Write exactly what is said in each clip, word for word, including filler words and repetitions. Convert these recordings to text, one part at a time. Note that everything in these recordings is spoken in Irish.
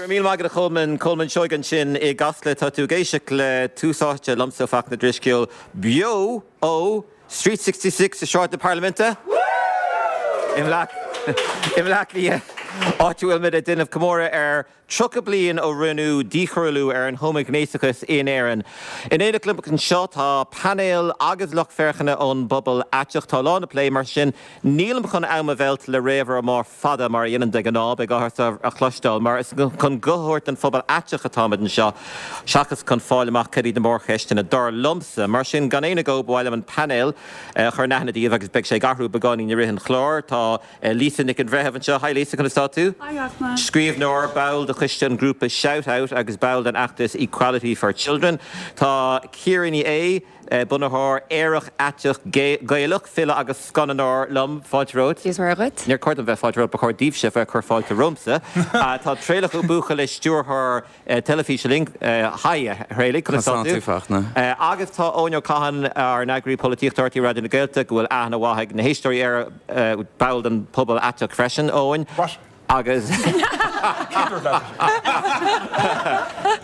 Go raibh míle maith agat a Cholmáin Colmán Seoighe ansin i gCasla tá tú ag éisteacht le Tús Áite liomsa Fachtna Drisceoil beo ó Street sixty six i Sráid na Parlaiminte i mBleá Cliath áit a bhfuil muid ag déanamh comóradh ar tríocha bliain ó rinneadh díchoiriúlú ar an homaighnéasachas in Éirinn. In éineacht liom anseo tá painéal agus lucht féachana ón bpobal aiteach tá lá na plé mar sin nílim chun am a mheilt le réamhrá mór fada mar a dhéanaim de ghnáth beidh áthas a chloisteáil mar is chun guth an phobal aiteach atáimid anseo seachas chun fáil amach cad iad na mórcheisteanna dar liomsa mar sin gan aon agó ba mhaith liom an painéal chur in aithne daoibh agus beidh sé ag athrú beagáinín i rith an chláir tá Lisa Nic an Bhreithimh anseo Hi Lisa conas tá tú? Scríbhneoir ball de choiste an grúpa Shout Out agus ball den fheachtas Equality for Children. Tá Ciara Ní É bunaitheoir Aerach Aiteach Gaelach file agus scannánóir liom fáilte romhat. Is mar agat? Níor chóir dom bheith fáilte romhat ba chóir daoibhse bheith chur fáilte romhamsa. Tá Traolach Ó Buachalla stiúrthóir teilifíse linn Hi a Thraolaigh conas tá tú? Agus tá Eoin Ó Catháin ár n-eagraí polaitíochta R T Raidió na Gaeltachta go bhfuil aithne mhaith ag na héisteoirí ar ball den pobal aiteach freisin Eoin. Agus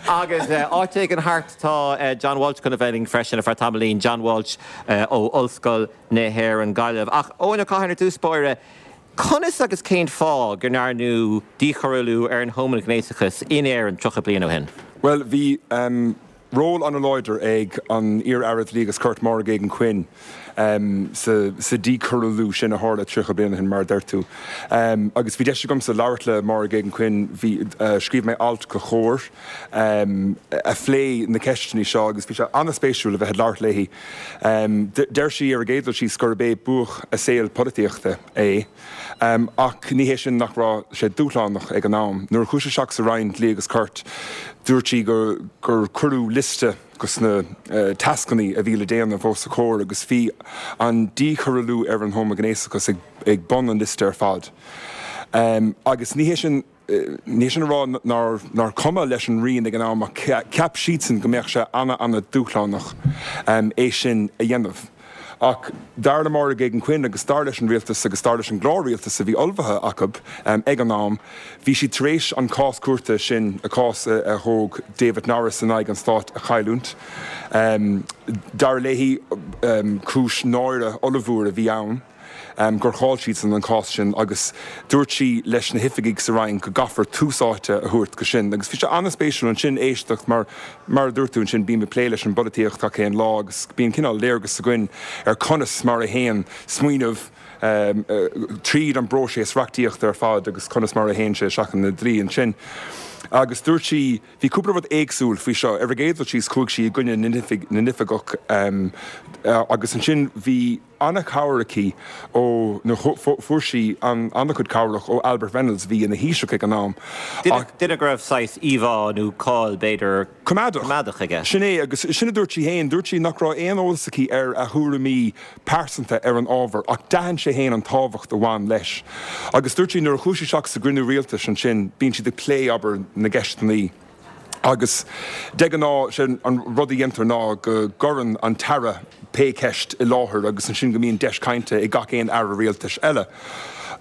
agus áit éigin thart tá John Walsh chun a bheith linn freisin ar feadh tamaillín John Walsh ó Ollscoil na hÉireann Gaillimh. Ach Eoin Ó Catháin ar dtús báire, conas agus cén fáth go ndearnadh díchoiriúlú ar an homaighnéasachas in Éirinn tríocha bliain ó shin? Well bhí um, ról an-láidir ag an iar-aire Dlí agus Cirt Máire Geoghegan Quinn um, sa, sa díchoiriúlú sin a tharla tríocha bliain ó shin mar a deir tú. Um, agus bhí deis agamsa labhairt le Máire Geoghegan Quinn bhí uh, scríobh mé alt do Chomhar um, a phléigh na ceisteanna seo agus bhí sé an-spéisiúil a bheith ag labhairt léi. Um, deir sí ar an gcéad dul síos gurb é buaic a saol polaitíochta é. Um, ach ní hé sin nach raibh sé dúshlánach ag an am. Nuair a chuaigh sí isteach sa Roinn Dlí agus Cirt dúirt sí gur gur cuireadh liosta de na uh, tascanna a bhí le déanamh os a comhair agus bhí an díchoiriúlú ar an homaighnéasachas ag, ag bun an liosta ar fad. Um, agus ní hé sin ní sin rá nár nár cuma leis an Roinn ag an am cheap siadsan go mbeadh sé an- an-dúshlánach um, é sin a dhéanamh. Ach dar le Máire Geoghegan Quinn agus dar leis an rialtas agus dar leis an gclár rialtais a bhí ullmhaithe acu um, ag an am, bhí si tar éis an cás cúirte sin a cás a, a thóg David Norris in aghaidh an stáit a chailliúint. Um, dar léi um, cúis náire ollmhór a bhí ann. Um, gur chaill siad san an cás sin agus dúirt sí leis na hoifigigh sa Roinn go gcaithfear tús áite a thabhairt dó sin. agus bhí sé an-spéisiúil ansin éisteacht mar mar dúirt tú ansin bím ag plé leis an bpolaitíocht gach aon lá agus bíonn cineál léargas againn ar conas mar a théann smaoineamh um, uh, tríd an bpróiseas reachtaíochta ar fad agus conas mar a théann sé isteach ina dlí ansin. Agus dúirt sí bhí cúpla rud éagsúil faoi seo ar an gcéad dul síos chuaigh sí i gcoinne na n-oifigeach um, uh, agus ansin bhí an-chabhair aici ó na fuair sí an an-chuid cabhrach ó Albert Reynolds bhí ina Thaoiseach ag an am. Duine go raibh saghas íomhá nó cáil b'fhéidir Coimeádach coimeádach aige. Sin é agus sin a dúirt sí féin, dúirt sí nach raibh aon eolas aici ar a thuairimí pearsanta ar an ábhar ach d'aithin sé féin an tábhacht a bhain leis. Agus dúirt sí nuair a chuaigh sí isteach sa gcruinniú rialtais ansin bíonn siad ag plé abair na gceisteanna. Agus de ghnáth sin an rud a dhéantar ná go gcuireann an t-aire pé ceist i láthair agus ansin go mbíonn deis cainte ag gach aon aire rialtais eile.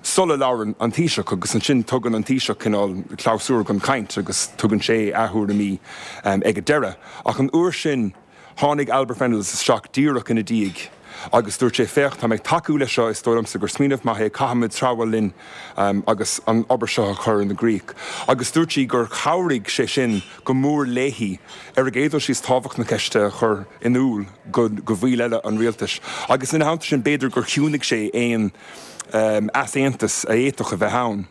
Sula labhrann an Taoiseach agus ansin tugann an Taoiseach cineál clabhsúr don chaint agus tugann sé a thuairimí um, ag an deireadh. Ach an uair sin tháinig Albert Reynolds isteach díreach ina diaidh. agus dúirt sé féach tá mé ag tacú leis seo is dóigh liomsa gur smaoineamh maith é caithfimid treabhadh linn um, agus an obair seo a chur ina gcrích. Agus dúirt sí gur chabhraigh sé sin go mór léi ar an gcéad dul síos tábhacht na ceiste a chur in iúl go, go bhaill eile an rialtais. Agus ina theannta sin b'fhéidir gur chiúnaigh sé aon um, easaontas a d'fhéadfadh a bheith ann.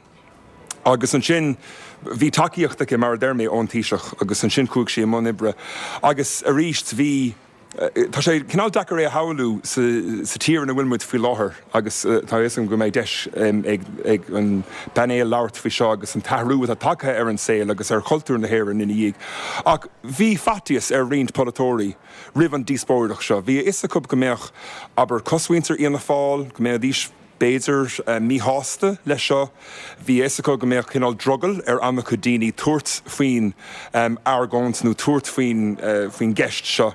Agus ansin bhí tacaíocht aici mar a deir mé ón Taoiseach agus ansin chuaigh sí i mbun oibre. Agus arís bhí Tá sé cineál deacair é a shamhlú sa tír ina bhfuil muid faoi láthair agus tá is go mbeidh deis ag ag an bpainéal labhairt faoi seo agus an t-athrú atá tagtha ar an saol agus ar chultúr na hÉireann ina dhiaidh. Ach bhí faitíos ar roinnt polaiteoirí roimh an díospóireacht seo. Bhí a fhios acu go mbeadh abair cosmhuintir Fhianna Fáil, go mbeidís b'fhéidir uh, míshásta leis seo, Bhí a fhios acu go mbeadh cineál drogall ar an-chuid daoine tabhairt faoin um, argóint nó tabhairt faoin uh, faoin gceist seo.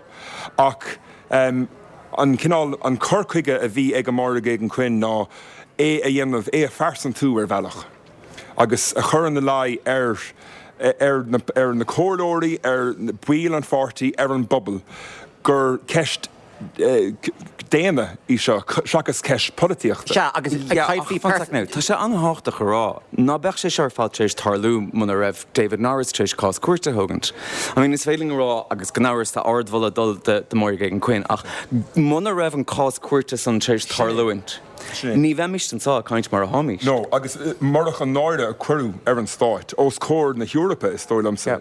Ach um, an cineál an cur chuige a bhí ag Máire Geoghegan Quinn ná é a dhéanamh é a phearsantú ar bhealach. Agus a chur ina luí ar ar na, ar na comhairleoirí, ar bhaill an pháirtí, ar an bpobal, gur ceist daonna í seo seachas ceist polaitíochta. Sea, agus caithfí Tá sé an-tábhachtach a rá ná beadh sé seo ar fad tar éis tarlú muna raibh David Norris tar éis cás cúirte a thógaint. I mean, is féidir linn a rá agus gan amhras tá ardmholadh ag dul do do Máire Geoghegan Quinn ach muna raibh an cás cúirte san tar éis tarlúint. Ní bheimis anseo ag caint mar atáimid. No, agus murach an náire a cuireadh ar an Stát, os comhair na hEorpa, is dóigh liomsa,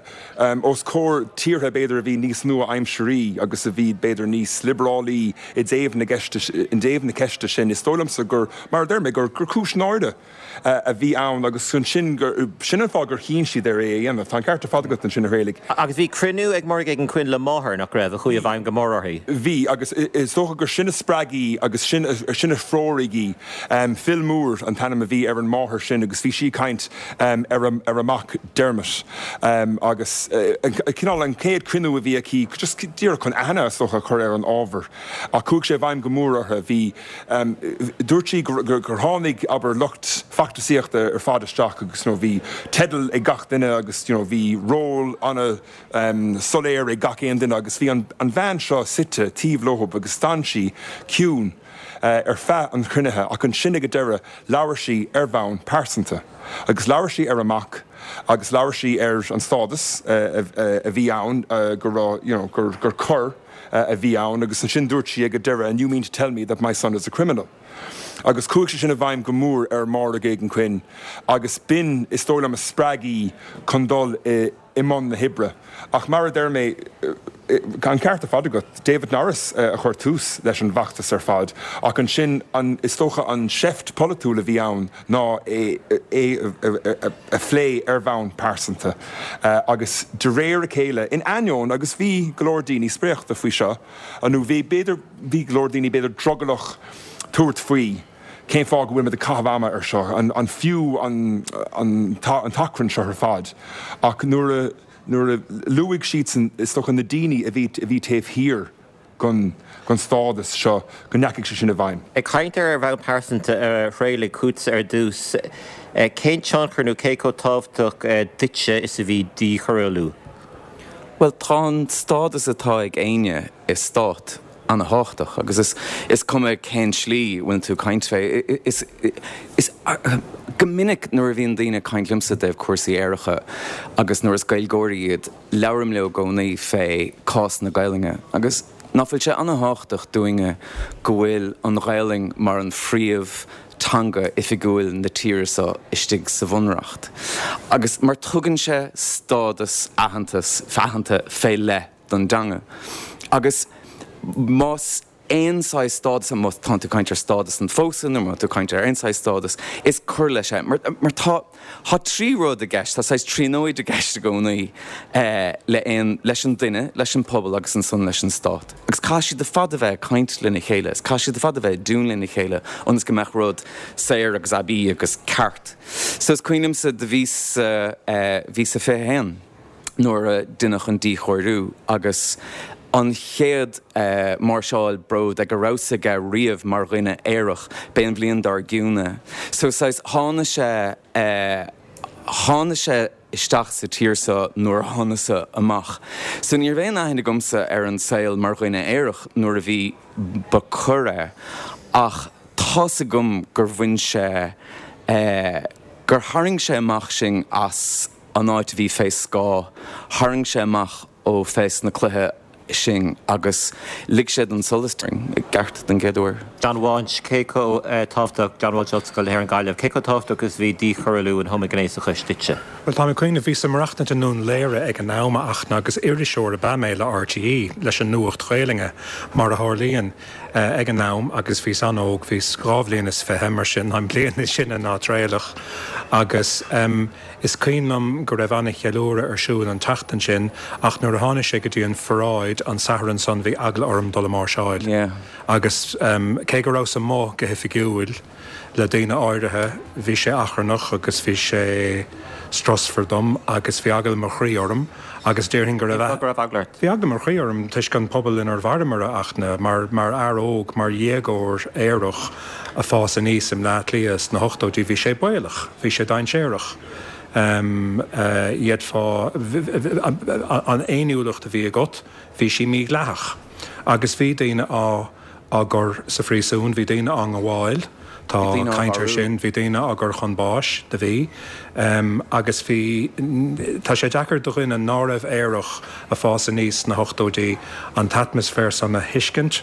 os comhair tíortha b'fhéidir a bhí níos nua-aimsirí agus a bhí b'fhéidir níos liobrálaí i dtaobh na gceiste, i dtaobh na ceiste sin, is dóigh liomsa gur, mar a deir mé, gur cúis náire a bhí ann agus ansin gur, sin an fáth gur chinn siad ar é a dhéanamh. Tá an ceart ar fad agat ansin, a Thraolaigh. Agus bhí cruinniú ag Máire Geoghegan Quinn le máthair, nach raibh, a chuaigh i bhfeidhm go mór uirthi? Bhí, agus is dócha gur sin a spreag í agus sin sin a threoraigh í. Phil Moore an t-ainm a bhí ar an máthair sin agus bhí sí ag caint ar a ar a mac Dermot agus cineál an chéad cruinniú a bhí aici just díreach chun aithne is dócha a chur ar an ábhar ach chuaigh sé i bhfeidhm go mór uirthi. Bhí dúirt sí gur gur tháinig abair lucht feachtasaíochta ar fad isteach agus you know bhí teideal ag gach duine agus you know bhí ról ana soiléir ag gach aon duine agus bhí an an bhean seo suite taobh leothub agus d'fhan sí ciúin ar feadh an chruinnithe ach ansin ag an deireadh labhair sí ar bhonn pearsanta agus labhair sí ar a mac agus labhair sí ar an stádas a bhí ann go raibh you know gur gur coir a bhí ann agus ansin dúirt sí ag an deireadh and you mean to tell me that my son is a criminal. Agus chuaigh sé sin i bhfeidhm go mór ar Mháire Geoghegan Quinn agus b'in is dóigh liom a spreag í chun dul i i mbun na hoibre. Ach mar a deir mé, an ceart ar fad agat, David Norris a chuir tús leis an bhfeachtas ar fad ach ansin an is dócha an seift polaitiúil a bhí ann ná é é a phlé ar bhonn pearsanta agus de réir a chéile, in ainneoin agus bhí go leor daoine spréachta faoi seo nó bhí b'fhéidir bhí go leor daoine b'fhéidir drogallach tabhairt faoi cén fáth go bhfuil muid ag caitheamh ama ar seo, an an fiú an an an t-achrann seo ar fad ach nuair a nuair a luaigh siadsan is dócha na daoine a bhí a bhí taobh thiar den den stádas seo go ndeachaigh sé sin i bhfeidhm. Ag caint ar ar bhonn pearsanta a Thraolaigh chugatsa ar dtús, cén tionchar nó cé chomh tábhachtach duitse is a bhí díchoiriúlú? Bhuel, tá an stádas atá ag éinne i stát ana-thábhachtach agus is is cuma cén slí a bhfuil tú ag caint fé. Is is go minic nuair a bhíonn daoine ag caint liomsa i dtaobh cúrsaí aeracha agus nuair is Gaeilgeoirí iad, labhraím leo i gcónaí fé cás na Gaelainne agus ná fuil sé ana-thábhachtach dúinne go bhfuil an Ghaelainn mar an phríomh teanga oifigiúil na tíre seo istigh sa Bhunreacht agus mar tugann sé stádas aitheantas aitheanta fé leith don dteanga agus más aon saghas stádas, má tá tú ag caint ar stádas an phósadh nó má tá tú ag caint ar aon saghas stádas, is cur leis é. Mar mar tá tá trí rud i gceist, tá saghas tríonóid i gceist i gcónaí le aon leis an duine, leis an pobal agus ansan leis an stát. Agus caithfidh siad ar fad a bheith ag caint lena chéile, is caithfidh siad ar fad a bheith i dtiúin lena chéile ionas go mbeadh rud saor agus aibí agus ceart. So is cuimhin liomsa do bhíos bhíos-sa fiche haon. nuair a deineadh an díchóiriú agus an chéad máirseáil bród ag a rabhas aige riamh mar dhuine aerach, b'é an bhliain dár gcionn é. So saghas thána sé, thána sé isteach sa tír seo nuair a thána-sa amach. So ní raibh aon aithne agamsa ar an saol mar dhuine aerach nuair a bhí, ba coir é ach tá's agam gur bhain sé, gur tharraing sé amach sinn as an áit a bhí fé scáth, tharraing sé amach ó fés na cloiche sinn agus lig sé don solas tarraing i gceart den gcéad uair. John Walsh, cé chomh tábhachtach, John Walsh, Ollscoil na hÉireann Gaillimh, cé chomh tábhachtach is a bhí díchoiriúlú an homaighnéasachais duitse? Bhuel, tá mé ag cuimhneamh, bhíos ag maireachtaint i nDún Laoghaire ag an am, a Fhachtna, agus iriseoir ab ea mé le RTÉ, leis an Nuacht Ghaelainne, mar a tharlaíonn, ag an am, agus bhíos an-óg, bhíos dhá bhliain is fiche, mar sin, táim bliain níos sine ná Traolach, agus is cuimhin liom go raibh an-cheiliúradh ar siúl an tseachtain sin, ach nuair a tháinig sé go dtí an pharáid an Satharn san, bhí eagla orm dul ag máirseáil. Agus cé go rabhas amuigh go hoifigiúil le daoine áirithe, bhí sé achrannach agus bhí sé strusmhar dom agus bhí eagla mo chroí orm agus déarfainn go raibh. Cén fáth go raibh eagla ort? Bhí eagla mo chroí orm toisc an pobal inar mhaireamar, a Fhachtna, mar mar fhear óg, mar dhéagóir aerach a fás aníos i mBleá Cliath sna hochtóidí, bhí sé baolach, bhí sé dainséarach. D'fhéadfá, an fhéiniúlacht a bhí agat, bhí sí mídhleathach agus bhí daoine á á gcur sa phríosún, bhí daoine á ngabháil, tá caint air sin, bhí daoine á gcur chun báis, do bhí. Agus bhí, tá sé deacair do dhuine ná raibh aerach ag fás aníos sna hochtóidí an t-atmaisféar san a thuiscint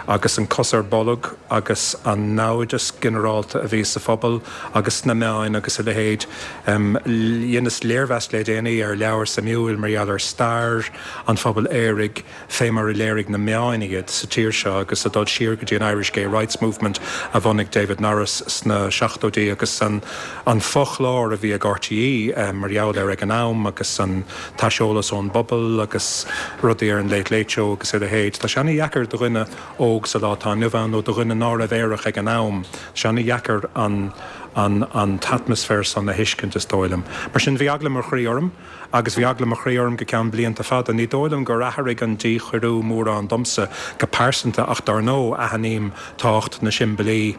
agus an cos ar bolg agus an naimhdeas ginearálta a bhí sa phobal agus sna meáin agus a leithéid. Dheineas léirmheas le déanaí ar leabhar suimiúil mar gheall ar stair an phobail aeraigh fé mar a léirigh na meáin iad sa tír seo agus ag dul siar go dtí an Irish Gay Rights Movement a bhunaigh David Norris sna seachtóidí agus an fochlár a bhí ag RTÉ mar gheall air ag an am agus an t-aiseolas ón bpobal agus rudaí ar an Late Late Show agus a leithéid. Tá sé ana-dheacair do dhuine óg sa lá atá inniu ann nó do dhuine ná raibh aerach ag an am, tá sé ana-dheacair an an an t-atmaisféar san a thuiscint is dóigh liom. Mar sin bhí eagla mo chroí orm agus bhí eagla mo chroí orm go ceann blianta fada. Ní dóigh liom gur athraigh an díchoiriú mórán domsa go pearsanta ach dar ndóigh aithním tábhacht na siombailí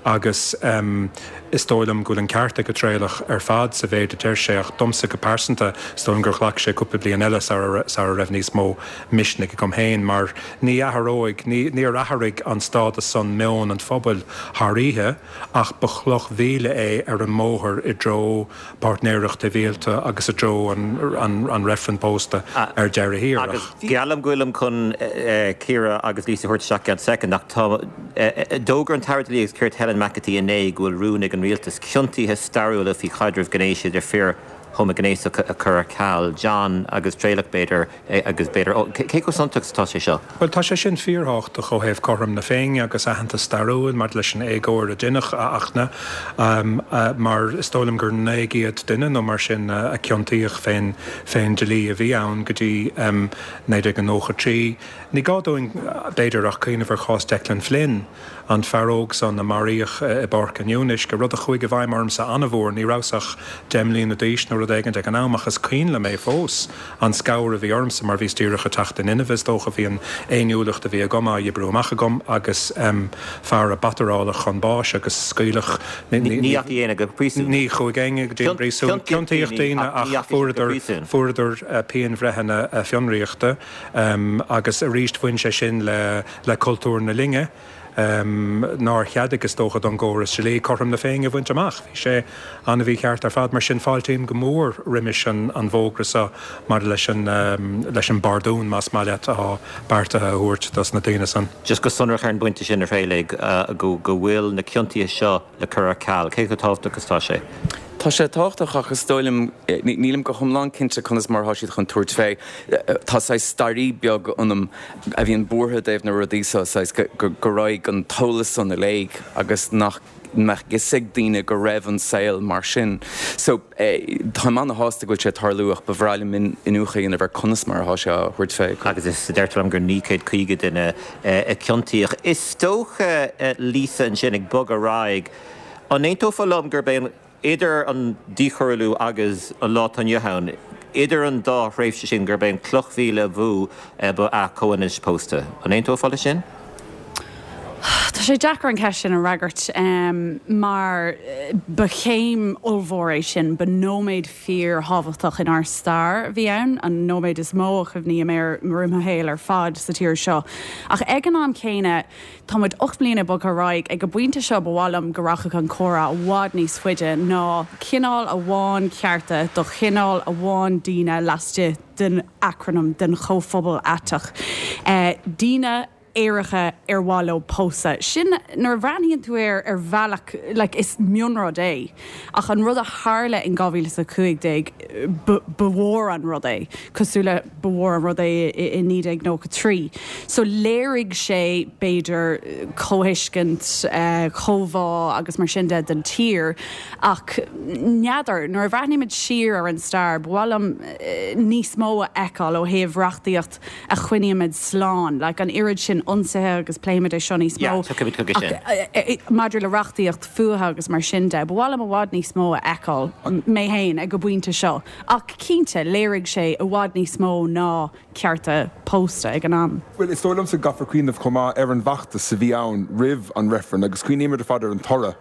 agus is dóigh liom go bhfuil an ceart ag an Traolach ar fad sa mhéid a deir sé ach domsa go pearsanta is dóigh liom gur ghlac sé cúpla bliain eile sara raibh níos mó misnigh agam féin mar ní athróidh, níor athraigh an stádas san meon an phobail thar oíche ach ba chloch mhíle é ar an mbóthar i dtreo páirtnéireacht shibhialta agus i dtreo an reifreann pósta ar deireadh thiar. Agus geallaim go bhfuilim chun Ciara agus Lisa a thabhairt isteach i gceann soicind ach tá, d'fhógair an tAire Dlí agus Cirt Helen McEntee inné go bhfuil rún ag an rialtas ciontuithe stairiúla faoi chaidreamh gnéis idir fir homaighnéasacha a chur ar ceal. John agus Traolach b'fhéidir agus b'fhéidir, cé chomh suntasach is atá sé seo? Bhuel, tá sé sin fíorthábhachtach ó thaobh cothrom na Féinne agus aitheantas stairiúil maidir leis an éagóir a deineadh a Fhachtna mar is dóigh liom gur naoi gcéad duine nó mar sin a ciontaíodh fén fén dlí a bhí ann go dtí naoi déag nócha trí. Ní gá dúinn, b'fhéidir, ach cuimhneamh ar chás Declan Flynn, an fear óg san a maraíodh i bPáirc an Fhionnuisce, rud a chuaigh i bhfeidhm ormsa an-mhór. Ní rabhas ach deich mbliana d'aois nó rud éigin ag an am ach is cuimhin liom é fós, an scamhar a bhí ormsa mar bhíos díreach ag teacht in inmhe, is dócha. Bhí an fhéiniúlacht a bhí agam á oibriú amach agam agus fear a bataráladh chun báis agus scaoileadh. Ní dheachaigh éinne go príosún. Ní chuaigh éinne go dtí an príosún. Ciontaíodh daoine ach fuaireadar, fuaireadar pianbhreitheanna fionraíochta agus arís bhain sé sin le le cultúr na linne nár cheadaigh, is dócha, don gcóras dlí cothrom na Féinne a bhaint amach. Bhí sé an-mhícheart ar fad. Mar sin, fáiltím go mór roimis an an bhfógra seo maidir leis an leis an bpardún, más maith leat, atá beartaithe a thabhairt dos na daoine san. Just go sonrach ar an bpointe sin, a Thraolaigh, go go bhfuil na ciontuithe seo le cur ar ceal, cé chomh tábhachtach is atá sé? Tá sé tábhachtach ach is dóigh liom, nílim go hiomlán cinnte conas mar atá siad chun tabhairt fé. Tá saghas staraí beag ionam a bhíonn buartha i dtaobh na rudaí seo, saghas go raghaidh an t-eolas san i léig agus nach mbeadh fhios ag daoine go raibh an saol mar sin. So, táim ana-shásta go bhfuil sé ag tarlú ach ba bhreá liom iniúchadh a dhéanamh ar conas mar atá sé á thabhairt fé. Agus is deirtear liom gur naoi gcéad caoga duine a ciontaíodh. Is dócha, Lisa, ansin ag bogadh ar aghaidh, an aontófá liom gurb é an, idir an díchoiriúlú agus an lá atá inniu ann, idir an dá thréimhse sin, gurb é an cloch mhíle ba mhó ba ea comhionannas pósta. An aontófá leis sin? Tá sé deacair an cheist sin a fhreagairt mar ba chéim ollmhór é sin, ba nóiméad fíorthábhachtach inár stair a bhí ann, an nóiméad is mó a chuimhním air i mo shaol ar fad sa tír seo. Ach ag an am céanna, Tá muid ocht mbliana bogtha ar aghaidh. Ag an bpointe seo ba mhaith liom go rachadh an comhrá i bhfad níos faide ná cineál amháin cearta do chineál amháin daoine laistigh den acrainm den chomhphobal aiteach. Daoine aeracha ar mhaith leo pósadh. Sin, nuair a bhreathnaíonn tú air ar bhealach, like, is mionrud é. Ach an rud a tharla in dhá mhíle is a cúig déag, ba mhór an rud é, cosúil le ba mhór an rud é i naoi déag nócha trí. So léirigh sé, b'fhéidir, comhthuiscint, comhbhá agus mar sin de don tír. Ach n'fheadar, nuair a bhreathnaímid siar ar an stair, ba mhaith liom níos mó a fheiceáil ó thaobh reachtaíocht a choinnímid slán. Like, an oiread sin ionsaithe agus pléimid é seo níos mó. Ach maidir le reachtaíocht fuatha agus mar sin de, ba mhaith liom i bhfad níos mó a fheiceáil, mé féin, ag an bpointe seo. Ach cinnte, léirigh sé i bhfad níos mó ná cearta pósta ag an am. Bhuel, is dóigh liomsa go gcaithfear cuimhneamh chomh maith ar an bhfeachtas a bhí ann roimh an reifreann agus cuimhnímid ar fad ar an toradh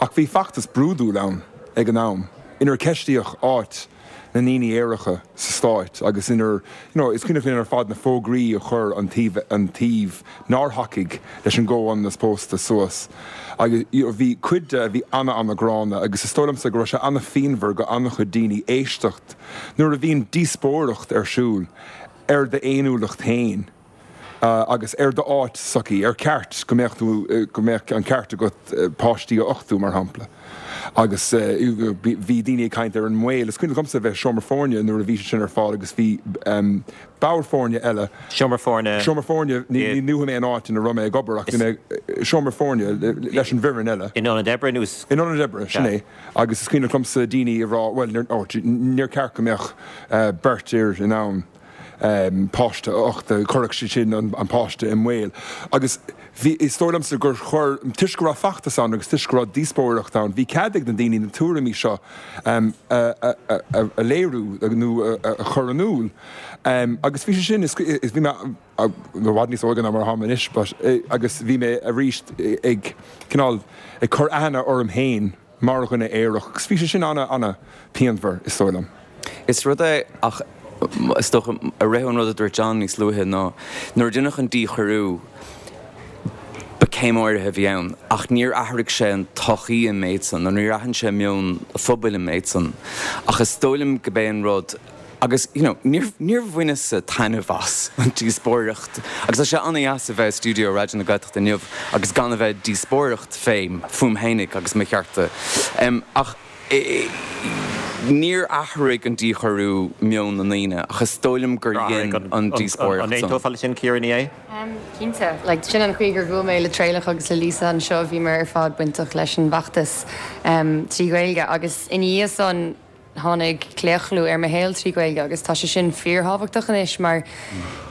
ach bhí feachtas brúidiúil ann ag an am. inar ceistíodh áit na ndaoine aeracha sa stát agus inar you know, is cuimhin linn ar fad na fógraí a chuir an taobh an taobh nár thacaigh leis an gcomhionannas pósta suas. Agus you know, bhí cuid de a bhí ana-ana-ghránna agus is dóigh liomsa go raibh sé ana-phianmhar go an-chuid daoine éisteacht nuair a bhíonn díospóireacht ar siúl ar d'fhéiniúlacht féin. agus ar d'áit sa tsochaí, ar ceart go mbeadh tú go mbeadh an ceart agat páistí a uchtú mar shampla. Agus bhí daoine ag caint ar an mbaol. Is cuimhin liomsa bheith i seomra foirne nuair a bhí sé sin ar fáil agus bhí ball foirne eile. Seomra foirne. Seomra foirne, ní luafaidh mé an áit ina raibh mé ag obair ach bhí mé i seomra foirne leis an bhfoireann eile. In ionad oibre nó? In ionad oibre, sin é. Agus is cuimhin liomsa daoine ag rá, bhuel, níor cheart go mbeadh beirt fhir in ann páiste a uchtú, chuirfeadh sé sin an páiste i mbaol. Agus bhí, is dóigh liomsa gur chuir, toisc go raibh feachtas ann agus toisc go raibh díospóireacht ann, bhí cead ag na daoine na tuairimí seo a léiriú nó a chur in iúl. Agus bhí sé sin, is, bhí mé i bhfad níos óige ná mar atáim anois, but, agus bhí mé arís ag cineál, ag cur aithne orm féin mar dhuine aerach agus bhí sé sin ana, ana pianmhar, is dóigh liom. Is rud é, ach is dócha, a rith an rud a dúirt John níos luaithe ná nuair a deineadh an díchoiriú, ba céim áirithe a bhí ann, ach níor athraigh sé an tsochaí an méid san, nó níor athraigh sé meon an phobail an méid san. Ach is dóigh liom go b'é an rud, agus you know, níor, níor bhaineas-sa taitneamh as an díospóireacht, agus tá sé an-dheas a bheith i stiúideo Raidió na Gaeltachta inniu agus gan a bheith ag díospóireacht fém, fúm fhéinig agus mo chearta. Ach níor athraigh an díchoiriú meon na ndaoine, ach is dóigh liom gur dhein an díospóireacht san. An aontófá leis sin, Ciara Ní É? Cinnte. Like, sin an chaoi gur bhuail mé le Traolach agus le Lisa anseo, bhíomar ar fad bainteach leis an bhfeachtas trí Ghaeilge agus ina dhiaidh san tháinig claochlú ar mo shaol trí Ghaeilge agus tá sé sin fíorthábhachtach anois mar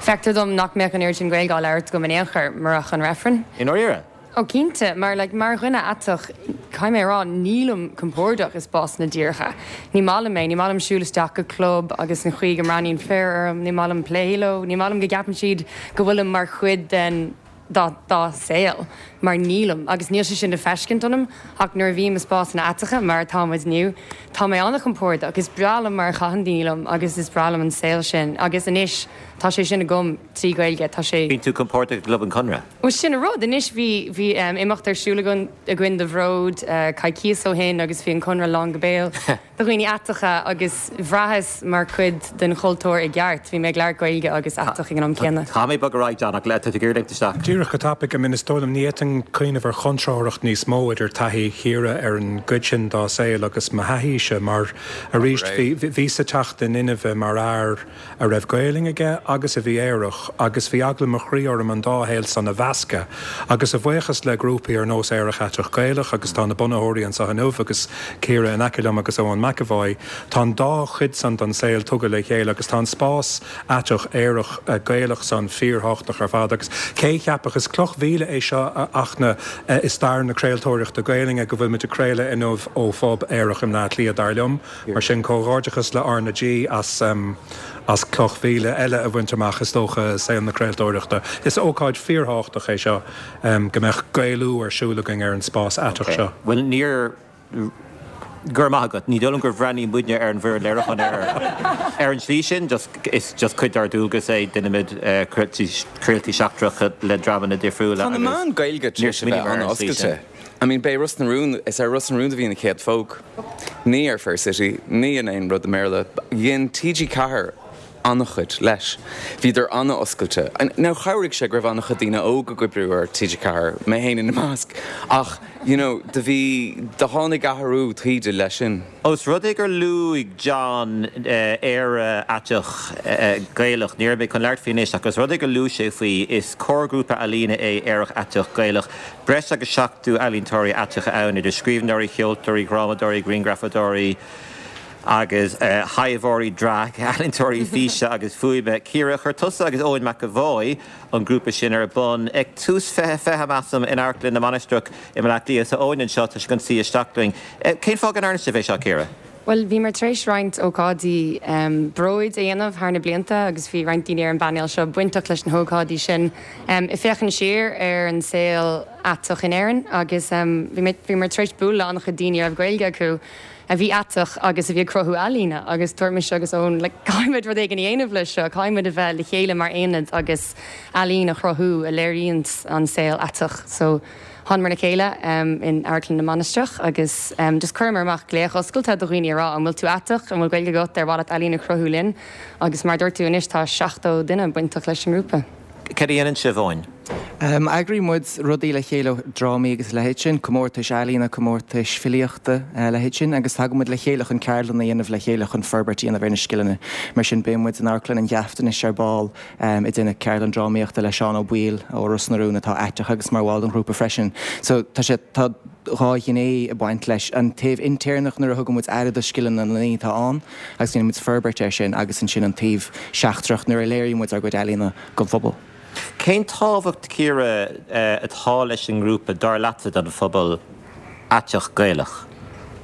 feictear dom nach mbeadh an oiread sin Gaeilge á labhairt agam in aon chor murach an reifreann. I ndáiríre? Ó cinnte, mar like mar dhuine aiteach, caithfidh mé a rá, nílim compordach i spásanna díreacha. Ní maith liom é, ní maith liom siúl isteach go club agus an chaoi go mbreathnaíonn fir orm, ní maith liom plé leo, ní maith liom go gceapann siad go bhfuilim mar chuid den dá dá saol, mar nílim, agus níl sé sin le feiscint ionam, ach nuair a bhím i spásanna aiteacha, mar atá muid inniu, tá mé an-chompordach, is breá liom mar a chaitheann daoine liom agus is breá liom an saol sin, agus anois tá sé sin agam trí Ghaeilge, tá sé. Bíonn tú compordach i gClub an Chonradh? Bhuel sin an rud, anois bhí bhí imeacht ar siúl againn againn do Bhród coicíos ó shin agus bhí an Conradh lán go béal de dhaoine aiteacha agus bhraitheas mar chuid den chultúr i gceart, bhí mé ag labhairt Gaeilge agus aiteach ag an am céanna. Tá mé bog ar aghaidh John ach le tá tú ag iarraidh léimt isteach. Díreach go tapaidh, I mean is dóigh liom ní fhéadfainn cuimhneamh ar chontrárthacht níos mó idir taithí Chiara ar an gcuid sin dá saol agus mo thaithíse mar arís bhí bhíos ag teacht in inmhe mar fhear a raibh Gaelainn aige agus a bhí aerach agus bhí eagla mo chroí orm an dá shaol san a mheascadh agus a bhuíochas le grúpaí ar nós Aerach Aiteach Gaelach agus tá na bunaitheoirí anseo inniu agus Ciara in aice liom agus Eoin McEvoy, tá an dá chuid san den saol tugtha le chéile agus tá an spás aiteach aerach Gaelach san fíorthábhachtach ar fad agus cé a cheapfadh, is cloch mhíle é seo a Fhachtna i stair na craoltóireachta Gaelainne go bhfuil muid ag craoladh inniu ó phub aerach i mBleá Cliath dar liom. Mar sin comhghairdeachas le R na G as as cloch mhíle eile a bhaint amach is dócha i saol na craoltóireachta. Is ócáid fíorthábhachtach é seo go mbeadh Gaelú ar siúl againn ar an spás aiteach seo. Bhuel níor, go raibh maith agat. Ní dóigh liom gur bhreathnaigh muidne ar an bhfoireann léiriúcháin ar an tslí sin, just is just cuid dár ndualgas é, déanaimid craoltaí seachtracha le dreamanna difriúla Tá na agus meáin Gaeilge tar níor éis a bheith smaoiníomar ar an tslí an-oscailte. sin. I mean, b'é Ros na Rún, is ar Ros na Rún a bhí an chéad phóg. Ní ar Fair City, ní in aon rud i mBéarla. Dhein T G ceathair an-chuid leis. Bhíodar an-oscailte. Now, chabhraigh sé go raibh an-chuid daoine óga ag oibriú ar T G ceathair, mé féin ina measc, ach, you know, do bhí, do tháinig athrú taoide leis sin. Ós rud é gur luaigh John Éire Aiteach Gaelach, ní raibh mé chun labhairt faoi anois, ach ós rud é gur luaigh sé faoi, is comharghrúpa ealaíne é Aerach Aiteach Gaelach, breis agus seachtó ealaíontóirí aiteacha ann, idir scríbhneoirí, cheoltóirí, dhrámadóirí, ghrianghrafadóirí agus thaibheoirí drag, ealaíontóirí físe agus fuaime. Ciara, chuir tusa agus Eoin McEvoy an grúpa sin ar bun ag tús fiche fiche, measaim, in Amharclann na Mainistreach i mBaile Átha Cliath. Tá Eoin anseo, tá sé chun suí isteach linn. Cén fáth go ndearna sibh é seo, Ciara? Well, bhíomar tar éis roinnt ócáidí um, bróid a dhéanamh thar na blianta agus bhí roinnt daoine ar an bpainéal seo bainteach leis na hócáidí sin. Um, ag féachaint siar ar an saol aiteach in Éirinn agus um, bhíomar tar éis bualadh le an-chuid daoine a raibh Gaeilge acu a bhí aiteach agus a bhí ag cruthú ealaíne agus dúirt mise agus Eoin le caithfimid rud éigin a dhéanamh leis seo, caithfimid a bheith le chéile mar aonad agus ealaín a chruthú a léiríonn an saol aiteach. So, Thángamar le chéile um, in Amharclann na Mainistreach agus um, just chuireamar amach glaoch oscailte do dhaoine a rá an bhfuil tú aiteach an bhfuil Gaeilge agat ar mhaith leat ealaín a chruthú linn agus mar dúirt tú anois tá seachtó duine bainteach leis an ngrúpa. Cad a dhéanann sibh Eoin? Um, Eagraíonn muid rudaí le chéile drámaí agus leithéid sin, comórtais ealaíne, comórtais filíochta uh, leithéid sin, agus tagann muid le chéile chun ceardlanna a dhéanamh le chéile chun forbairt a dhéanamh ar na scileanna. Mar sin beidh muid in Amharclann an Gheaftain ar ball um, ag déanamh ceardlann drámaíochta le Seán Ó Baoill ó Ros na Rún atá aiteach agus mar bhall den ghrúpa freisin. So tá sé tá dhá ghné ag baint leis an taobh intéirneach nuair a thugann muid aire do scileanna na ndaoine atá ann agus déanann muid forbairt air sin agus ansin an taobh seachtrach nuair a léiríonn muid ár gcuid ealaíne don phobal. Cén tábhacht Ciara atá leis an ngrúpa dar leatsa don phobal aiteach Gaelach?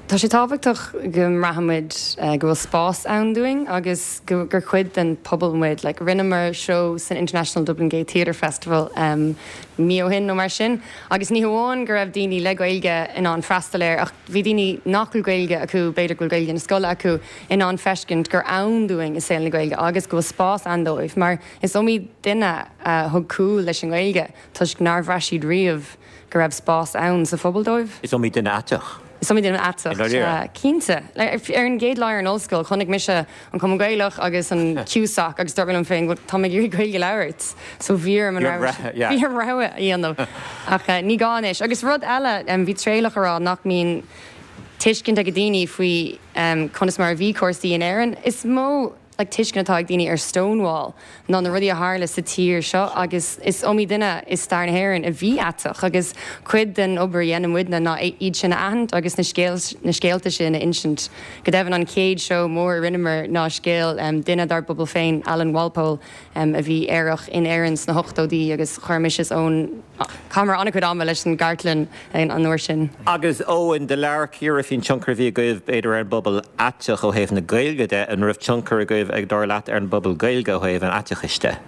Tá sé tábhachtach go mbraithimid go bhfuil spás ann dúinn agus gur cuid den pobal muid, like, rinneamar seó san International Dublin Gay Theatre Festival um, mí ó shin nó mar sin, agus ní hamháin go raibh daoine le Gaeilge in ann freastal air ach bhí daoine nach bhfuil Gaeilge acu b'fhéidir go bhfuil Gaeilge na scoile acu in ann feiscint gur ann dúinn i saol na Gaeilge agus go bhfuil spás ann dóibh, mar is iomaí duine uh, thug cúl leis an Ghaeilge toisc nár bhraith siad riamh go raibh spás ann sa phobal dóibh. Is iomaí duine aiteach. Is iomaí duine aiteach cinnte. Ar an gcéad lá ar an ollscoil chonaic mise an Cumann Gaelach agus an CUSAC agus dúirt mé liom féin tá mé ag iarraidh Gaeilge a labhairt, so bhí orm an bhí orm rogha a dhéanamh ach ní gá anois. Agus rud eile bhí Traolach ag rá nach mbíonn tuiscint ag daoine faoi conas mar a bhí cúrsaí in Éirinn. Is mó like, tuiscint atá ag daoine ar Stonewall ná na rudaí a tharla sa tír seo agus is iomaí duine i stair na hÉireann a bhí aiteach agus cuid den obair a dhéanann muidne ná iad sin a aithint agus na scéal na scéalta sin a insint. Go deimhin an chéad seó mór a rinneamar ná scéal um, duine dár bpobal féin Alan Walpole um, a bhí aerach in Éirinn sna hochtóidí agus chuir mise is Eoin chaitheamar an-chuid ama leis an gcartlann an uair sin. Agus Eoin do labhair Ciara faoin tionchar a bhí agaibh b'fhéidir ar an bpobal aiteach ó thaobh na Gaeilge de an raibh tionchar agaibh ag dar leat ar an bpobal Gaeilge ó thaobh an aiteachais de.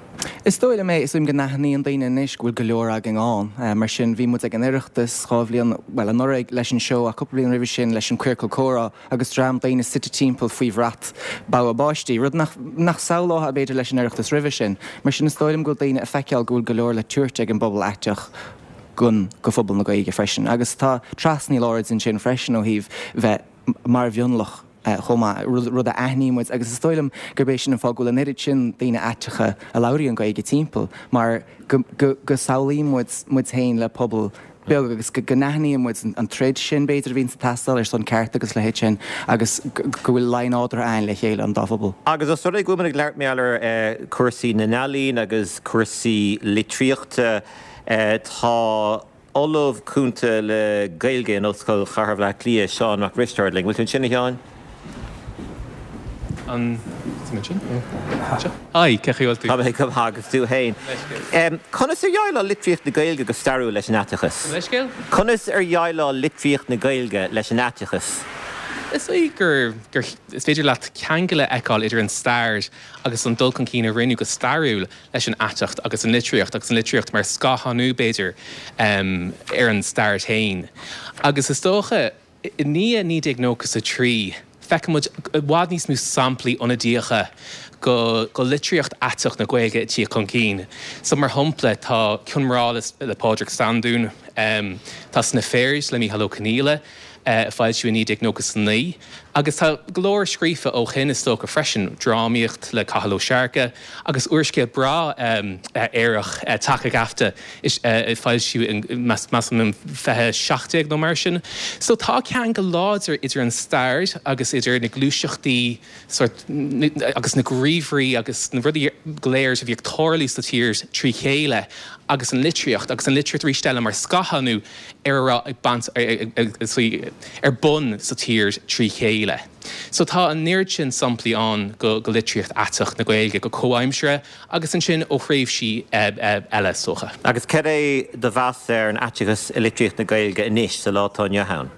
Is dóigh liom é is dóigh liom go n-aithníonn daoine anois go bhfuil go leor againn ann, mar sin bhí muid ag an Oireachtas dhá bhliain well anuraidh leis an seó ach cúpla bliain roimhe sin leis an Queercal Comhrá agus dream daoine suite timpeall faoi bhrat bogha báistí, rud nach nach samhlófá b'fhéidir leis an Oireachtas roimhe sin. Mar sin is dóigh liom go bhfuil daoine ag feiceáil go bhfuil go leor le tabhairt ag an bpobal aiteach gon go phobal na Gaeilge freisin. Agus tá trasnaíl áirid ansin freisin ó thaobh bheith mar mhionlach chomh maith, rud a aithníonn muid agus is dóigh liom gurb é sin an fáth go bhfuil an oiread sin daoine aiteacha a labhraíonn Gaeilge timpeall mar go go go samhlaíonn muid muid féin le pobal beag agus go n-aithníonn muid an troid sin b'fhéidir a bhíonn ag teastáil ar son ceart agus leithéid sin agus go bhfuil luí nádúrtha ann le chéile an dá phobal. Agus os rud é go bhfuil muid ag labhairt mar gheall ar cúrsaí na n-ealaíon agus cúrsaí litríochta tá Ollamh Cúnta le Gaeilge in Ollscoil Chathair Bhaile Átha Cliath, Seán Mac Risteaird linn. Bhfuil tú ansin a Sheáin? An sin? Hi, cén chaoi a bhfuil tú? Tá mé go maith agus tú féin. Conas ar dhéileáil litríocht na Gaeilge go stairiúil leis an aiteachas? Leithscéal? Conas ar dhéileáil litríocht na Gaeilge leis an aiteachas? Is dóigh gur gur is féidir leat ceangal a fheiceáil idir an stair agus an dul chun cinn a rinneadh go stairiúil leis an aiteacht agus an litríocht agus an litríocht mar scáthánú b'fhéidir um, ar an stair féin. Agus is dócha i ndiaidh naoi déag nócha a trí feicimid i bhfad níos mó samplaí ionadaíocha go, go litríocht aiteach na Gaeilge ag tíocht chun cinn. So mar shampla tá Cion Mná le Pádraig Standún, um, tá Sna Fairies le Mícheál Ó Conghaile, uh, foilsíodh i naoi déag nócha a naoi, agus tá go leor scríofa ó shin is dócha freisin drámaíocht le Cathal Ó Searcaigh agus úrscéal breá um, uh, aerach uh, Taca Gaibhte uh, foilsíodh measaim in fiche seacht déag nó mar sin. So tá ceangal láidir idir an stair agus idir na gluaiseachtaí sort, agus na gníomhairí agus na rudaí go léir a bhí ag tarlú sa tír trí chéile agus an litríocht agus an litríocht arís eile mar scáthánú ar a raibh ag baint ar bun sa tír trí chéile. So tá an oiread sin samplaí ann go, go litríocht aiteach na Gaeilge go comhaimseartha agus ansin ó thréimhsí eile is dócha. Agus cad é do mheas ar an aiteachas i litríocht na Gaeilge anois sa lá atá inniu ann?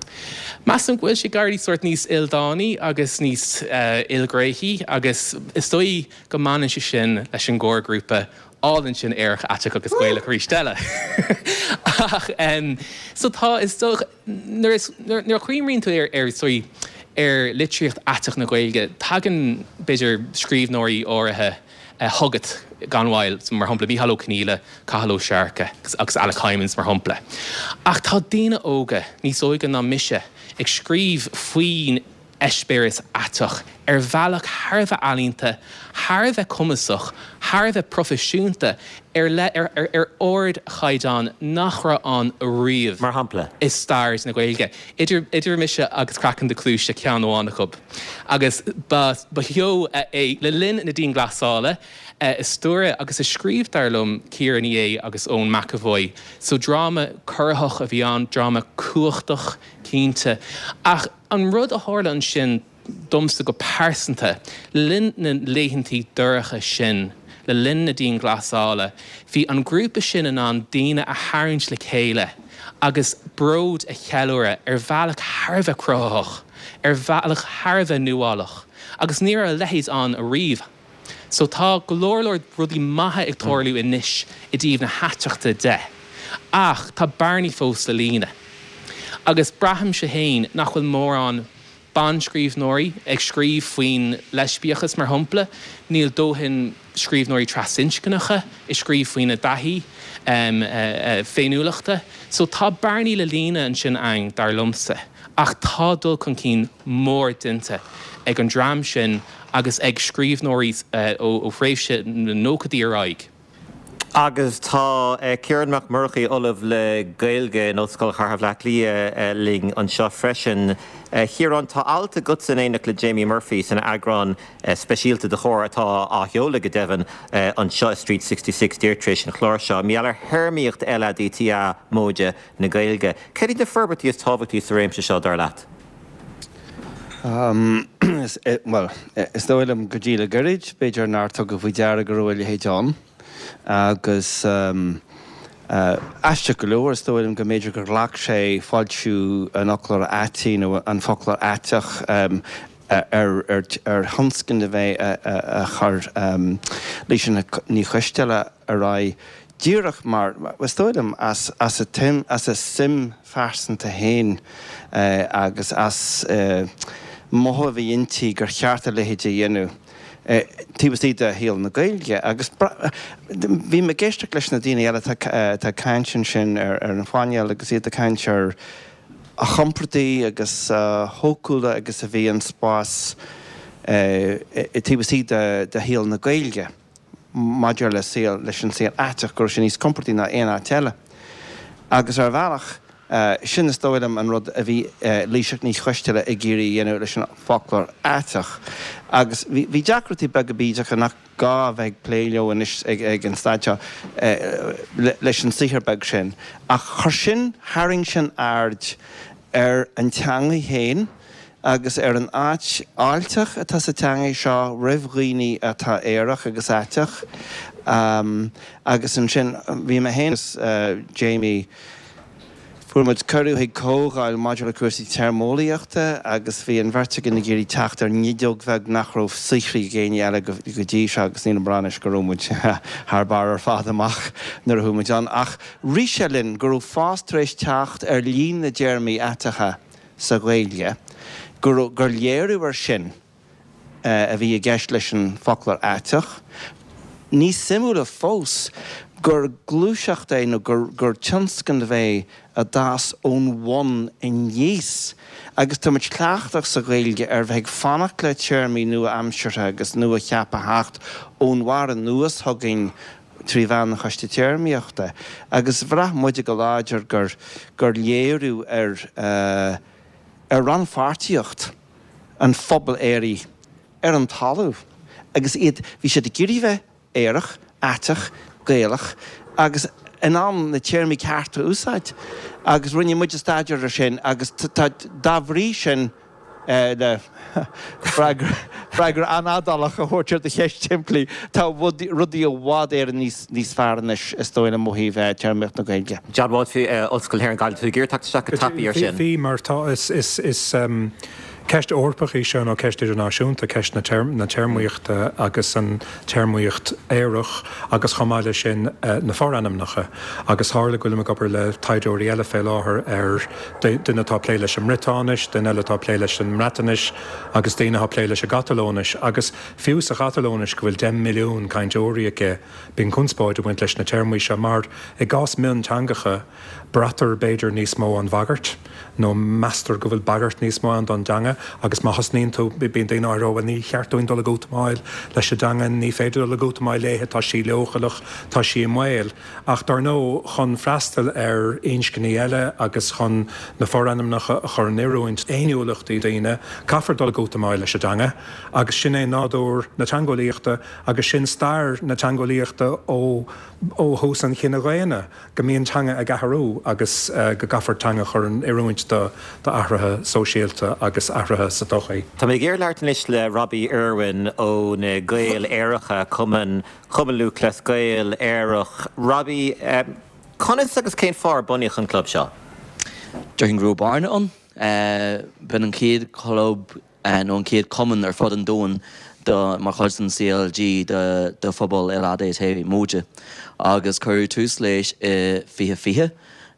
Measaim go bhfuil sé ag éirí sórt níos ildánaí agus níos ilghnéithí agus is dóigh go mbaineann sé sin leis an gcomharghrúpa álainn sin Aerach, Aiteach agus Gaelach arís eile. Ach so tá is dócha nuair is nuair a chuimhníonn tú ar ar sorry ar litríocht aiteach na Gaeilge tagann b'fhéidir scríbhneoirí áirithe chugat gan mhoill, mar shampla Mícheál Ó Conghaile, Cathal Ó Searcaigh agus Alec Hijmans mar shampla. Ach tá daoine óga, níos óige ná mise, ag scríobh faoin eispéireas aiteach ar bhealach thar a bheith ealaíonta, thar a bheith cumasach, thar a bheith proifisiúnta, ar ar ar ardchaighdeán nach raibh ann riamh. Mar shampla? I stair na Gaeilge. Idir idir mise agus Craiceann do Chluaise ceann amháin acu. Agus ba ba sheó é le linn na dianghlasála a stiúraigh agus a scríobh dar liom Ciara Ní É agus Eoin McEvoy. So dráma corraitheach a bhí ann, dráma cumhachtach cinnte. Ach an rud a tharla ansin domsa go pearsanta, le linn na laethantaí dorcha sin, le linn na dianghlasála, bhí an grúpa sin in ann daoine a tharraingt le chéile agus bród a cheiliúradh ar bhealach thar a bheith cruthaitheach, ar bhealach thar a bheith nuálach, agus ní raibh a leithéid ann ariamh. So tá go leor leor rudaí maithe ag tarlú anois i dtaobh na haiteachta de. Ach tá bearnaí fós le líonadh. Agus braithimse féin nach bhfuil mórán banscríbhneoirí ag scríobh faoin leispiachas mar shampla, níl dóthain scríbhneoirí trasinscneacha ag scríobh faoina dtaithí féiniúlachta. So tá bearnaí le líonadh ansin ann, dar liomsa. Ach tá dul chun cinn mór déanta ag an dream sin agus ag scríbhneoirí ó thréimhse na nóchaidí ar aghaidh. Agus tá Ciarán Mac Murchaidh, Ollamh le Gaeilge in Ollscoil Chathair Bhaile Átha Cliath linn anseo freisin. A Chiaráin, tá alt agatsa in éineacht le Jamie Murphy san eagrán speisialta de Chomhar atá á sheoladh go deimhin anseo i Street sixty six díreach tar éis an chláir seo. Mar gheall ar théarmaíocht LADTA móide na Gaeilge. Cad iad na forbairtí is tábhachtaí sa réimse seo, dar leat? Bhuel, is dóigh liom go dtí le gairid, b'fhéidir nár tugadh faoi deara go raibh a leithéid ann. Agus aisteach go leor, is dóigh liom go mb'fhéidir gur ghlac sé foilsiú an Fhoclóra Aitigh nó an Foclóir Aiteach ar thionscnamh é a chuir Laoise Ní Choisteala ar aghaidh díreach mar, is dóigh liom, as a suim phearsanta féin agus as mothú a bhí inti gur cheart a leithéid a dhéanamh taobh istigh de shaol na Gaeilge. Agus bhí mé ag éisteacht leis na daoine eile atá ag caint ansin ar an phainéal agus iad ag caint ar a chompordaí agus a shócúla agus a bhí an spás taobh istigh de shaol na Gaeilge maidir le saol, leis an saol aiteach, go raibh sé níos compordaí ná aon áit eile. Agus ar bhealach, sin is dóigh liom an rud a bhí Laoighseach Ní Choisteala ag iarraidh a dhéanamh leis an bhfoclóir aiteach. Agus bhí deacrachtaí beaga bídeacha nach gá a bheith ag plé leo anois ag an staid seo leis an saothar beag sin. Ach chuir sin, tharraing sin aird ar an teangaidh féin agus ar an áit fháilteach atá sa teangaidh seo roimh dhaoine atá aerach agus aiteach. Agus ansin bhí mé féin agus Jamie, Fuair muid cuireadh chuig comhdháil maidir le cúrsaí téarmeolaíochta agus bhí an bheirt againn ag iarraidh teacht ar nideog bheag nach raibh saothraithe ag éinne eile go dtí seo agus nílim ag rá anois go raibh muid thar barr ar fad amach nuair a chuaigh muid ann ach rith sé linn go raibh fás tar éis teacht ar líon na dtéarmaí aiteacha sa Ghaeilge, go raibh, gur léiriú air sin a bhí i gceist leis an bhfoclóir aiteach. Níos suimiúla fós gur gluaiseacht é nó gur tionscnamh é a d'fhás ón bhun aníos agus tá muid cleachtach sa Ghaeilge ar bheith ag fanacht le téarmaí nua-aimseartha agus nua-cheaptha a theacht ón bharr anuas chugainn trí mheán an Choiste Téarmaíochta agus bhraith muide go láidir gur gur léiriú ar ar rannpháirtíocht an phobail aeraigh ar an talamh agus iad, bhí siad ag iarraidh bheith aerach, aiteach, Gaelach agus in ann na téarmaí cearta a úsáid agus rinne muide staidéar ar sin agus tá, dá bhrí sin, Le freagra an-fhadálach a thabhairt ar do cheist shimplí, tá rudaí i bhfad Éireann níos fearr anois is dóigh liom ó thaobh téarmaíocht na Gaeilge. John Walsh, Ollscoil na hÉireann Gaillimh, tú ag iarraidh teacht isteach go tapaidh ar sin. Bhí, mar tá, is ceist Eorpach í seo nó ceist idirnáisiúnta, ceist na téarmaíochta agus an téarmaíocht aorach agus chomh maith leis sin na forainmneacha. Agus tharla go bhfuilim ag obair le taighdeoirí eile fé láthair ar duine atá ag plé leis an mBriotáinis, duine eile atá ag plé leis an mBreatnais agus daoine atá ag plé leis an gCatalóinis. Agus fiú sa Chatalóinis, go bhfuil deich milliún cainteoirí aici, bíonn conspóid ag baint leis na téarmaí seo mar i gcás mionteangacha, braitear b'fhéidir níos mó an bhagairt nó meastar go bhfuil bagairt níos mó ann don dteanga agus má thosnaíonn tú, bíonn daoine á rá, bhuel ní cheart dúinn dul ag útamáil leis an dteanga, ní féidir dul ag útamáil léithe, tá sí leochaileach, tá sí i mbaol. Ach dar ndóigh, chun freastal ar inscní eile agus chun na forainmneacha a chur in oiriúint d'fhéiniúlachtaí daoine, caithfear dul ag útamáil leis an dteanga agus sin é nádúr na teangeolaíochta agus sin stair na teangeolaíochta ó ó thús an chine dhaonna, go mbíonn teanga ag athrú agus go gcaithfear teanga a chur in oiriúint do athruithe sóisialta agus athruithe sa tsochaí. Tá mé ag iarraidh labhairt anois le Robbie Irwin ó na Gaeil Aeracha, Cumann Chumann Lúthchleas Gael Aerach. Robbie, conas agus cén fáth ar bunaíodh an club seo? Déarfainn go raibh bearna ann. B'in an chéad chlub nó an chéad cumann ar fud an domhain do mar chuid den C L G do do phobal L A D T móide agus cuireadh tús leis i fiche fiche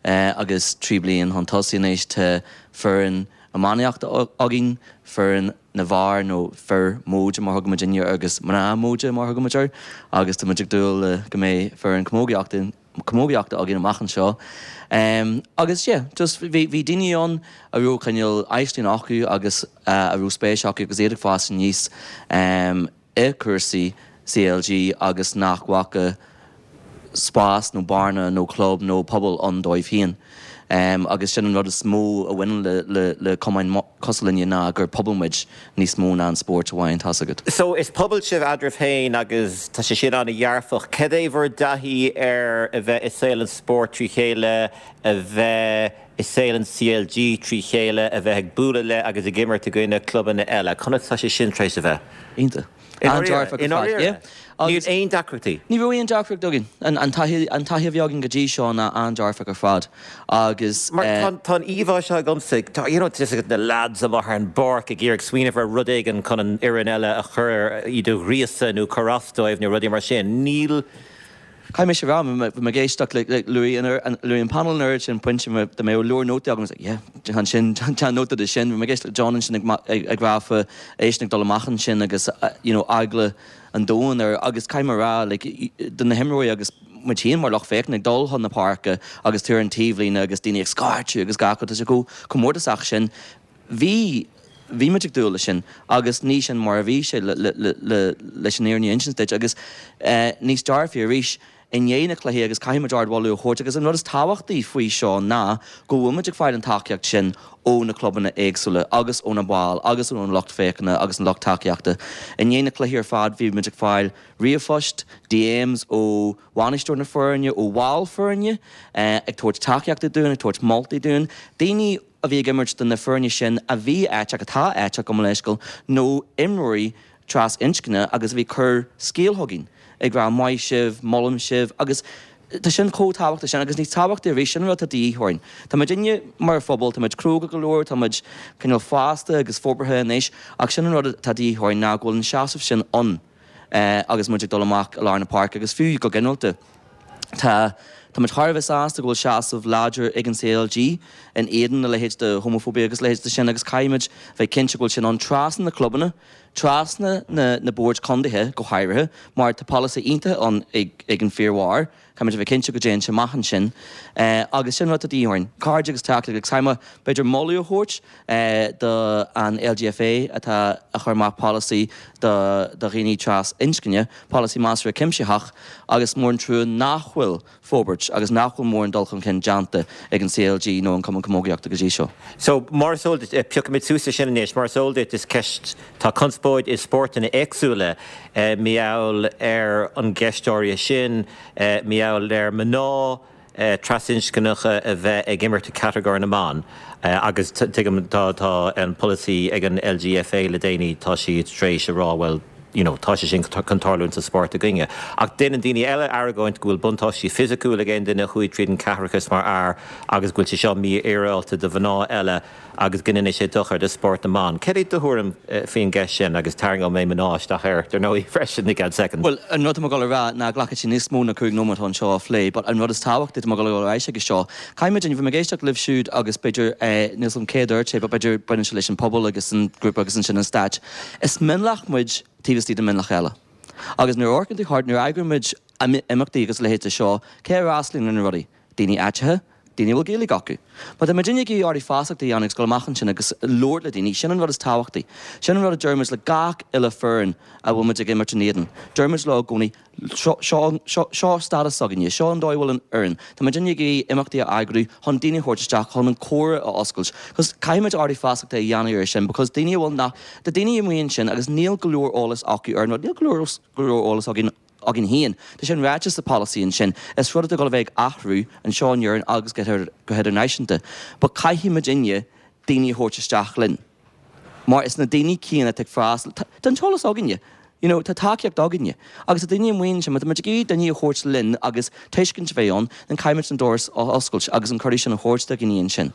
agus trí bliain chun tosaigh anois tá foireann iománaíochta againn, foireann na bhfear nó fir móide mar thugaimid inniu agus mná móide mar thugaimid air agus tá muid ag dúil le go mbeidh foireann camógaíochta camógaíochta againn amach anseo. Um, agus yeah, just bhí bhí daoine ann a raibh cineál aisling acu agus uh, a raibh spéis acu agus iad ag fás aníos um, i cúrsaí C L G agus nach bhfaca spás nó bearna nó club nó pobal ann dóibh féin. Um, agus sin an rud is mó a bhaineann le, le, le cumainn cosúil linne ná gur pobal muid níos mó ná an spórt amháin tá agat. So is pobal sibh eadraibh féin agus tá sé sin an-dhearfach. Cad é bhur dtaithí ar a bheith i saol an spóirt trí chéile, a bheith i saol an C L G trí chéile, a bheith ag bualadh le agus ag imirt i gcoinne clubanna eile. Conas tá sé sin tar éis a bheith? Iontach. An-dearfach. Níl aon deacrachtaí. Ní raibh aon deacracht againn. An taithí a bhí againn go dtí seo ná an-dearfach ar fad agus. Mar tá an íomhá seo agamsa, tá you know, na lads amach ar an bpáirc ag iarraidh smaoineamh ar rud éigin chun an fhoireann eile a chur iad a ghríosadh nó cur as dóibh nó rudaí mar sin. Níl Caithfidh mé a rá bhí mé ag éisteacht le luaigh luaigh an panel an oiread sin pointe de mé leor nótaí agam yeah sin déan nóta de sin, bhí mé ag éisteacht le John ansin ag rá faoi eisean ag dul amach ansin agus you know eagla an domhain air agus caithfidh mé a rá like do na himreoirí agus muid féin mar lucht féachana ag dul chun na páirce agus tú ar an taobhlíne agus daoine ag scairteadh agus gach rud tá sé chomh chomh mórtasach sin. Bhí bhí muid ag dúil leis sin agus ní sin mar a bhí sé le le le leis an fhírinne a insint duit agus eh, níos dearfaí arís i ndiaidh na cluichí agus caithfidh muid ardmholadh a thabhairt agus an rud is tábhachtaí faoi seo ná go bhfuil muid ag fáil an tacaíocht sin ó na clubanna éagsúla agus ó na baill agus ón lucht féachana agus an lucht tacaíochta. I ndiaidh na cluichí ar fad bhí muid ag fáil ríomhphost, D Ms ó bhainisteoir na foirne, ó bhaill foirne, eh, ag tabhairt tacaíochta dúinn, ag tabhairt moltaí dúinn, daoine a bhí ag imirt do na foirne sin a bhí aiteach atá aiteach go leisciúil nó imreoirí trasinscne agus a bhí ag cur scéal chugainn ag rá maith sibh, molaim sibh agus tá sin chomh tábhachtach sin agus níos tábhachtaí arís sin rud atá de dhíth orainn. Tá muid inne mar phobal, tá muid cróga go leor, tá muid cineál fásta agus forbartha anois ach sin an rud atá de dhíth orainn ná go bhfuil an seasamh sin ann eh, agus muid ag dul amach i lár na páirce agus fiú go ginearálta. Tá Tá muid thar a bheith sásta go bhfuil seasamh láidir ag an C L G in éadan na leithéid de homophobia agus leithéid de sin agus caithfimid bheith cinnte go bhfuil sin ann trasna na clubanna, trasna na, na boird contaetha go háirithe, mar tá polasaí iontach ann ag, ag an Fíormhar, Caithfimid bheith cinnte go dtéann sé amach ansin eh, agus sin rud de dhíth orainn. Cairde agus tacaíocht agus caithfidh mé b'fhéidir moladh a thabhairt eh, do an L G F A atá a chur amach polasaí do, do dhaoine trasinscne, polasaí measartha cuimsitheach agus mór an trua nach bhfuil forbairt agus nach bhfuil mórán dul chun cinn déanta ag an C L G nó an Cumann Camógaíochta go dtí seo. So mar is eol duit, piocfaimid suas sin anois, mar is eol duit is ceist tá conspóid i spórtanna éagsúla eh, mar gheall ar an gceist áirithe sin, eh, mar gheall ar mná trasinscneacha a bheith ag imirt i catagóir na mban agus tuigim tá tá an polasaí ag an L G F A le déanaí, tá siad tar éis a rá, well, you know, tá sé sin chun tarlúint sa spórt againne. Ach déanann daoine eile argóint go bhfuil buntáistí fisiciúil ag aon duine a chuaigh tríd an ceathaireachas mar fhear agus go bhfuil sé seo mífhéaráilte do mhná eile agus go ndéanann sé dochar do spórt na mban. Céard é do thuairim faoin gceist sin agus tarraingeoidh mé mná isteach air dar ndóigh freisin i gceann soicind? Well, an rud go rá ná glacfaidh sé níos mó ná cúig nóiméad anseo a phlé, but an rud is tábhachtaí go go éis agus seo. Caithfimid bhí mé ag éisteacht libh siúd agus b'fhéidir níl an céad sé, b'fhéidir baineann sé leis an pobal agus an grúpa agus ansin an stáit. Is mionlach muid taobh istigh de mionlach eile. Agus nuair amharcann tú thart, nuair eagraímid imeachtaí agus leithéid seo, cé a fhreastalaíonn ar na rudaí? Daoine aiteacha, daoine bhfuil Gaeilge acu. Ma tá muidinne ag iarraidh feasacht a dhéanamh go amach ansin agus labhairt le daoine, sin an rud is tábhachtaí. Sin an rud a deirimid le gach uile foireann a bhfuil muid ag imirt in éadan. Deirimid leo i gcónaí seo stádas againne, seo an dóigh bhfuil an fhoireann. Tá muidinne ag imeachtaí a eagrú chun daoine a thabhairt isteach chun an comhrá a oscailt. Cos caithfimid ardú feasachta a dhéanamh ar sin, because daoine bhfuil nach de daoine amuigh ansin agus níl go leor eolas acu ar níl go leor go leor eolas againn againn féin. Tá sin ráite sa policy ansin, is rud a go bheith athrú anseo in Éirinn agus go hidirnáisiúnta. Ba caithfidh muidinne daoine a thabhairt isteach linn. Mar is na daoine céanna ag freastal Tá an t-eolas againne. You know, tá tacaíocht againne. Agus a daoine amuigh ansin, tá muid ag daoine a thabhairt linn agus tuiscint a bheith ann, an caithfimid an doras a oscailt agus an cuireadh sin a thabhairt do dhaoine ansin.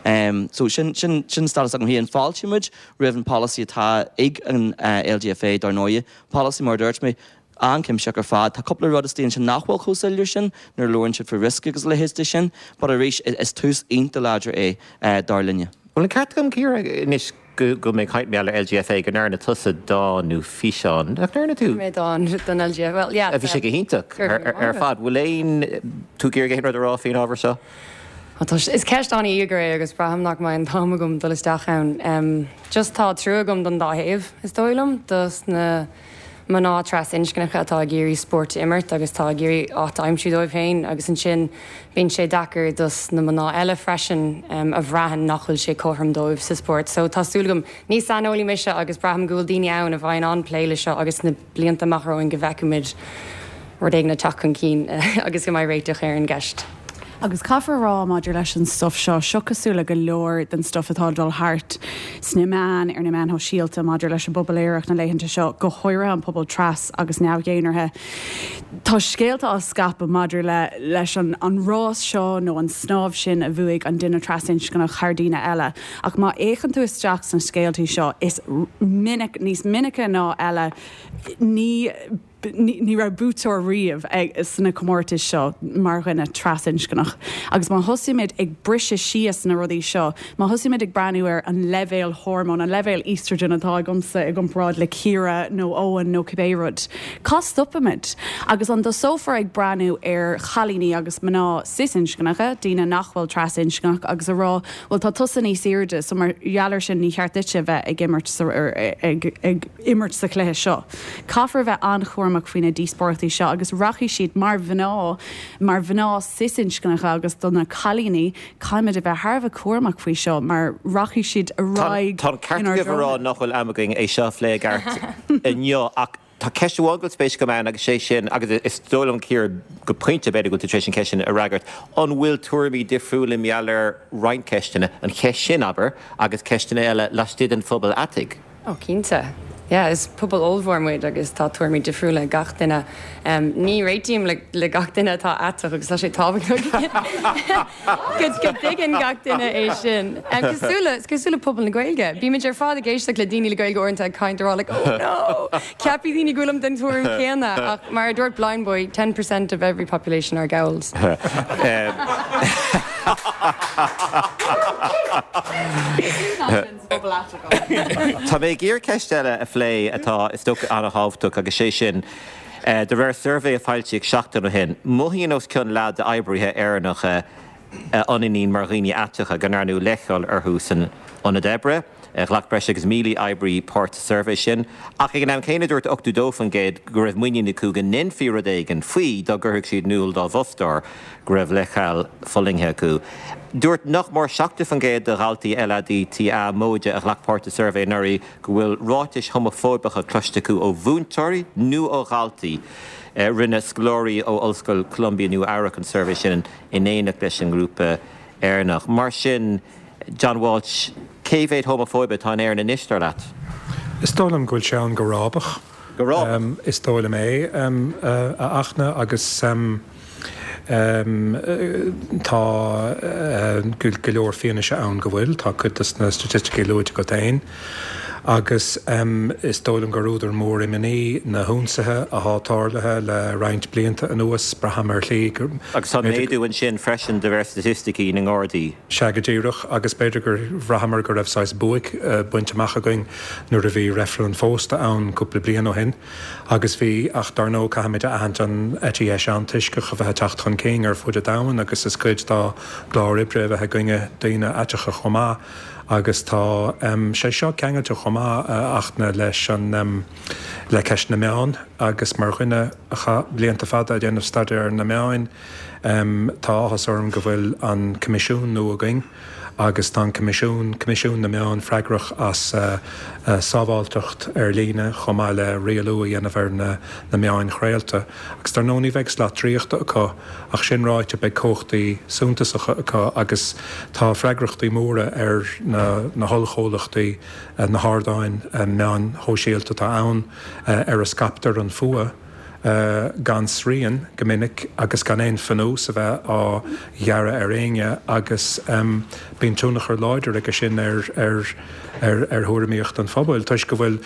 Um, so sin, sin, sin stádas agam féin fáiltímid roimh an policy atá ag an uh, L G F A dar ndóigh, policy mar dúirt mé an-chuimsitheach ar fad. Tá cúpla rud istigh ansin nach bhfuil chomh soiléir sin nuair labhrann siad faoi riosca agus leithéid de sin, but arís is tús iontach láidir é uh, dar linne. Well an ceart agam, Ciara, anois go go mé caint mé le L G F A go ndearna tusa dán nó físeán nach ndearna tú? Mé dán don L G F A well yeah. A bhí sé go hiontach ar fad. Bhfuil aon tú ag iarraidh aon rud a rá faoin ábhar seo? Is ceist an-íogair é agus braithim nach mbeidh an t-am agam dul isteach ann. Um, just tá trua agam don dá thaobh is dóigh liom dos na mná trasinscneacha atá ag iarraidh spórt imirt agus tá ag iarraidh áit a aimsiú dóibh féin agus ansin bíonn sé deacair dos na mná eile freisin um, a bhraitheann nach bhfuil sé cothrom dóibh sa spórt. So tá súil agam ní saineolaí mise agus braithim go bhfuil daoine ann a bheidh ag plé le seo agus na blianta amach romhainn go bhfeicfimid rud éigin ag teacht chun cinn agus go mbeidh réiteach ar an gceist. Agus caithfear rá maidir leis an stuff seo seo cosúil le go leor den stuff atá dul thart sna meáin ar na meáin shóisialta maidir leis an bpobal aerach na laethanta seo go háirithe an pobal tras agus neamh-dhénártha. Tá scéalta á scaipeadh maidir le leis an, an rás seo nó an snámh sin a bhuaigh an duine trasinscneach thar daoine eile. Ach má fhéachann tú isteach sna scéaltaí seo is minic níos minice ná eile ní ní raibh buaiteoir riamh ag sna comórtais seo mar dhuine trasinscneach. Agus má thosaímid ag briseadh síos na rudaí seo, má thosaímid ag breathnú ar an leibhéal hormón, an leibhéal estrogen atá agamsa i gcomparáid le Ciara nó Owen nó cibé rud. Cá stopaimid agus an dtosófar ag breathnú ar chailíní agus mná cisinscneacha, daoine nach bhfuil trasinscneach agus a rá, well tá tusa níos airde, so mar gheall air sin ní cheart duit bheith ag imirt sa, ag, ag imirt sa chluiche seo. Caithfear bheith an-chúramach faoi na díospóireachtaí seo agus rachaidh siad mar mhná mar mhná cisinscneacha agus do na cailíní caithfimid a bheith thar a bheith cúramach faoi seo mar rachaidh siad ar aghaidh Tá ceart rá nach bhfuil am againn é seo a phlé i gceart inniu ach tá ceist amháin go spéis agam ann agus sé sin agus is dóigh liom Ciara go pointe b'fhéidir go tar éis an ceist sin a fhreagairt. An bhfuil tuairimí difriúla maidir le roinnt ceisteanna an cheist sin abair agus ceisteanna eile laistigh den phobal aiteach. Ó cinnte. Yeah, is pobal ollmhór muid agus tá tuairimí difriúla gach duine. Um, ní réitím le, le gach duine atá aiteach agus tá sé tábhachtach go go dtuigeann gach duine é sin. Um, cosúil cosúil le pobal na Gaeilge. Bímid ar fad ag éisteacht le daoine le Gaeilge uaireanta ag caint rá like, oh no! Ceapfaidh daoine go bhfuilim den tuairim céanna ach mar a dúirt Blindboy, ten percent of every population are gowls. Tá mé ag iarraidh ceist eile a phlé atá is dócha an-tábhachtach agus sé sin de réir suirbhé a foilsíodh seachtain ó shin. Mothaíonn os cionn leath d'oibrithe Éireannacha a ionannaíonn mar dhaoine aiteacha go ndearnadh leithcheal orthu san ionad oibre. Ghlac breis agus míle oibrí páirt sa suirbhé sin, ach ag an am céanna dúirt ochtó dó faoin gcéad go raibh muinín acu go ndéanfaí rud éigin faoi dá gcuirfeadh siad in iúl dá bhfostóir go raibh leithcheal fulaingthe acu. Dúirt nach mór seachtó faoin gcéad de dhaltaí LADTA móide a ghlac páirt sa suirbhé anuraidh go bhfuil ráitis homafóibeacha cloiste acu ó mhúinteoirí nó ó dhaltaí. Rinne scoláirí ó Ollscoil Columbia Nua Eabhrac an suirbhé sin in éineacht leis an ngrúpa Éireannach. Mar sin, John Walsh, cé mhéad homafóibe atá in Éirinn anois, dar leat? Is dóigh liom go bhfuil sé ann go rábach. Go rábach? Is dóigh liom é, a Fhachtna, agus tá go leor fianaise ann go bhfuil. Tá cuid de na staitisticí luaite agat féin. Agus is dóigh liom gur údar mór imní na hionsaithe atá tarlaithe le roinnt blianta anuas, braithim ar shlí gur. Agus tá méadú ansin freisin de réir staitisticí na nGardaí. Sea, go díreach, agus b'fhéidir gur bhraitheamar go raibh saghas buaic bainte amach againn nuair a bhí reifreann an phósta ann cúpla bliain ó shin. Agus bhí, ach dar ndóigh caithfimid a aithint an eite dheis antoisceach a bheith ag teacht chun cinn ar fud an domhain agus is cuid dá gclár oibre a bheith i gcoinne daoine aiteacha chomh maith. Agus tá sé seo ceangailte chomh maith, a Fhachtna, leis an, le ceist na meán agus mar dhuine a chaith blianta fada ag déanamh staidéar ar na meáin, tá áthas orm go bhfuil an Coimisiún nua againn agus tá an Coimisiún, Coimisiún na Meán, freagrach as sábháilteacht ar líne chomh maith le rialú a dhéanamh ar na meáin chraolta. Agus dar ndóigh ní bheidh slat draíochta acu ach sin ráite beidh cumhachtaí suntasacha acu agus tá freagrachtaí móra ar na hollchomhlachtaí, na hardáin meáin shóisialta atá ann ar a scaiptear an fuath gan srian go minic agus gan aon phionós a bheith á ghearradh ar éinne agus bíonn tionchar láidir aige sin ar ar thuairimíocht an phobail toisc go bhfuil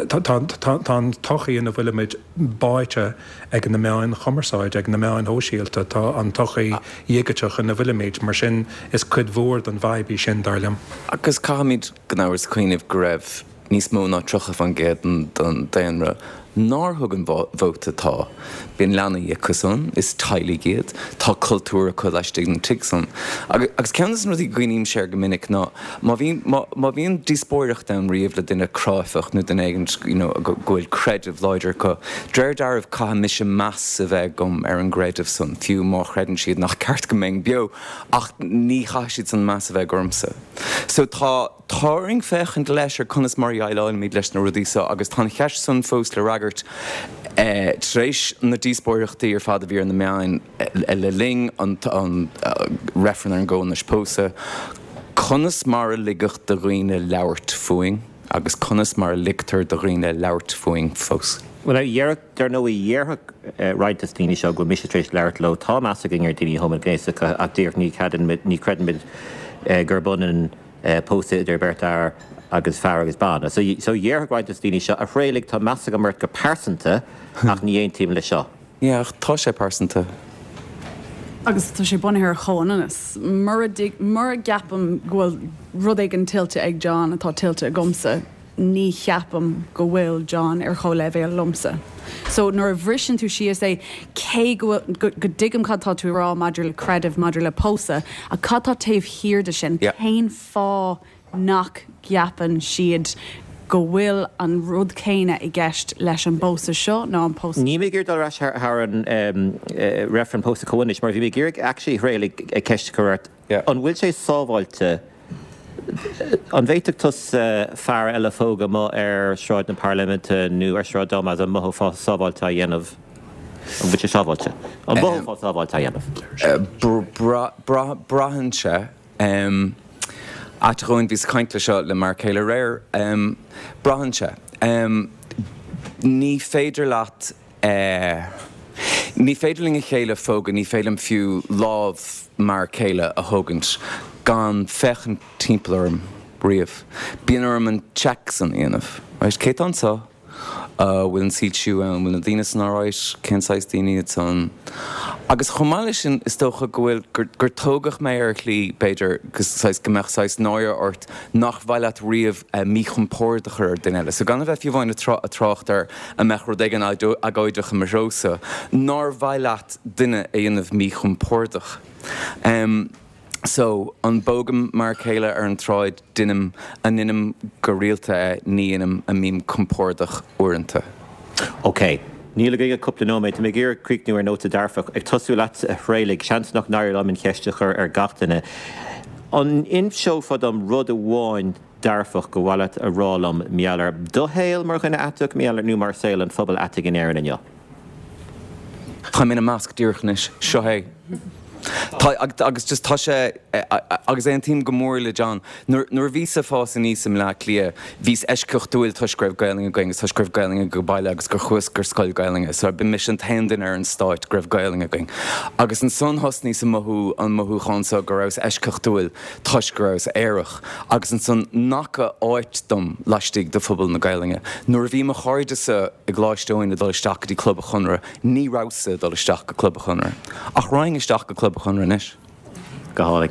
tá an tsochaí ina bhfuilimid báite ag na meáin chumarsáide, ag na meáin shóisialta, tá an tsochaí dhigiteach ina bhfuilimid, mar sin is cuid mhór den bhfadhb í sin, dar liom. Agus caithfimid gan amhras cuimhneamh go raibh níos mó ná tríocha faoin gcéad den daonra nár thug an vóta tá. Bíonn leanaí acu san, is teaghlaigh iad, tá cultúr acu laistigh den tigh san. Agus ceann de na rudaí go gcuimhnímse air go minic ná má bhíonn, má bhíonn díospóireacht ann riamh le duine cráifeach nó duine éigin you know go bhfuil creideamh láidir acu, de réir dealraimh caithfidh mise meas a bheith agam ar an gcreideamh san, fiú má chreideann siad nach ceart go mbeinn beo, ach ní chaithfidh siad san meas a bheith ormsa. So tá. Tá orainn féachaint leis ar conas mar a dhéileálaimid leis na rudaí seo agus tá an cheist san fós le fhreagairt tar éis na díospóireachtaí ar fad a bhí ar na meáin le linn an reifreann ar an gcomhionannas pósadh, conas mar a ligeadh do dhaoine labhairt fúinn agus conas mar a ligtear do dhaoine labhairt fúinn fós. Bhuel, déarfadh, dar ndóigh, déarfadh roinnt de na daoine seo go bhfuil mise tar éis labhairt leo, tá meas againn ar dhaoine homaighnéasacha ach díreach ní ní chreidimid gurb ionann pósadh idir beirt fhear agus fear agus bean. So déarfadh roinnt de na daoine seo, a Thraolaigh, tá meas agam ort go pearsanta ach ní aontaím leis seo. Yeah, ach tá sé pearsanta. Agus tá sé bunaithe ar chomhionannas. Mura mura gceapaim go bhfuil rud éigin tuillte ag John atá tuillte agamsa, ní cheapaim go bhfuil John ar chomhleibhéal liomsa. So nuair a bhriseann tú síos é, cé go bhfuil, go dtuigim cad tá tú a rá maidir le creideamh, maidir le pósadh, ach cad tá taobh thiar de sin? Cén fáth nach gceapann siad go bhfuil an rud céanna i gceist leis an bpósadh seo ná an pósadh. Níl mé ag iarraidh dul ar ais thar an reifreann pósadh comhionannais mar bhí mé ag iarraidh actually a Thraolaigh ceist a chur ort. An bhfuil sé sábháilte An bhféadfadh tusa fear eile a phógadh amuigh ar Shráid na Parlaiminte nó ar Shráid Damas, an mothófá sábháilte á dhéanamh? An bhfuil sé sábháilte? An mothófá sábháilte á dhéanamh? Braitheann sé. Ait dhúinn, bhíos ag caint le seo le m'fhear céile aréir. Braitheann sé. Ní féidir leat. Ní féidir linn a chéile a phógadh, ní féidir liom fiú lámh m'fhear céile a thógaint gan féachaint timpeall orm riamh. Bíonn orm an check san a dhéanamh. Right, cé tá anseo? Bhfuil an soilsiú ann? Bhfuil na daoine san alright? Cén saghas daoine iad san? Agus chomh maith leis sin, is dócha go bhfuil, gur, gur tógadh mé ar shlí, b'fhéidir, go saghas, go mbeadh saghas náire ort nach mhaith leat riamh míchompord a chur ar duine eile. So gan a bheith fiú amháin ag trácht ar an mbeadh rud éigin agóideach i mo threosa, nár mhaith leat duine a dhéanamh míchompordach. So, an bpógaim m'fhear céile ar an tsráid, deinim, an ndeinim go rialta é, ní dheinim, an mbím compordach uaireanta. Ok. Níl againn ach cúpla nóiméad. Tá mé ag iarraidh críochnú ar nóta dearfach. Ag tosú leat, a Thraolaigh, seans nach n-éireoidh liom an cheist a chur ar gach duine. An inseofá dom rud amháin dearfach gur mhaith leat a rá liom mar gheall ar do shaol mar dhuine aiteach, mar gheall ar nó mar saol an phobail aitigh in Éirinn inniu? Táim ina measc díreach anois. Seo é. Tá, agus just tá sé, agus aontaím go mór le John, nuair, nuair a bhíos ag fás aníos i mBleá Cliath, bhíos eisceachtúil toisc go raibh Gaelainn againn agus toisc go raibh Gaelainn ag baile agus gur chuas gur scoil Gaelainne, so bhí mise an t-aon duine ar an stát go raibh Gaelainn againn. Agus ansan thosnaíos ag mothú an mothúchán so go rabhas eisceachtúil toisc go rabhas aerach agus ansan nach raibh áit dom laistigh de phobal na Gaelainne. Nuair a bhí mo chairde-sa i gColáiste Eoin ag dul isteach go dtí Club an Chonradh, ní rabhas-sa ag dul isteach go Club an Chonradh. Ach raghainn isteach go Club an Chonradh anois. Go hálainn.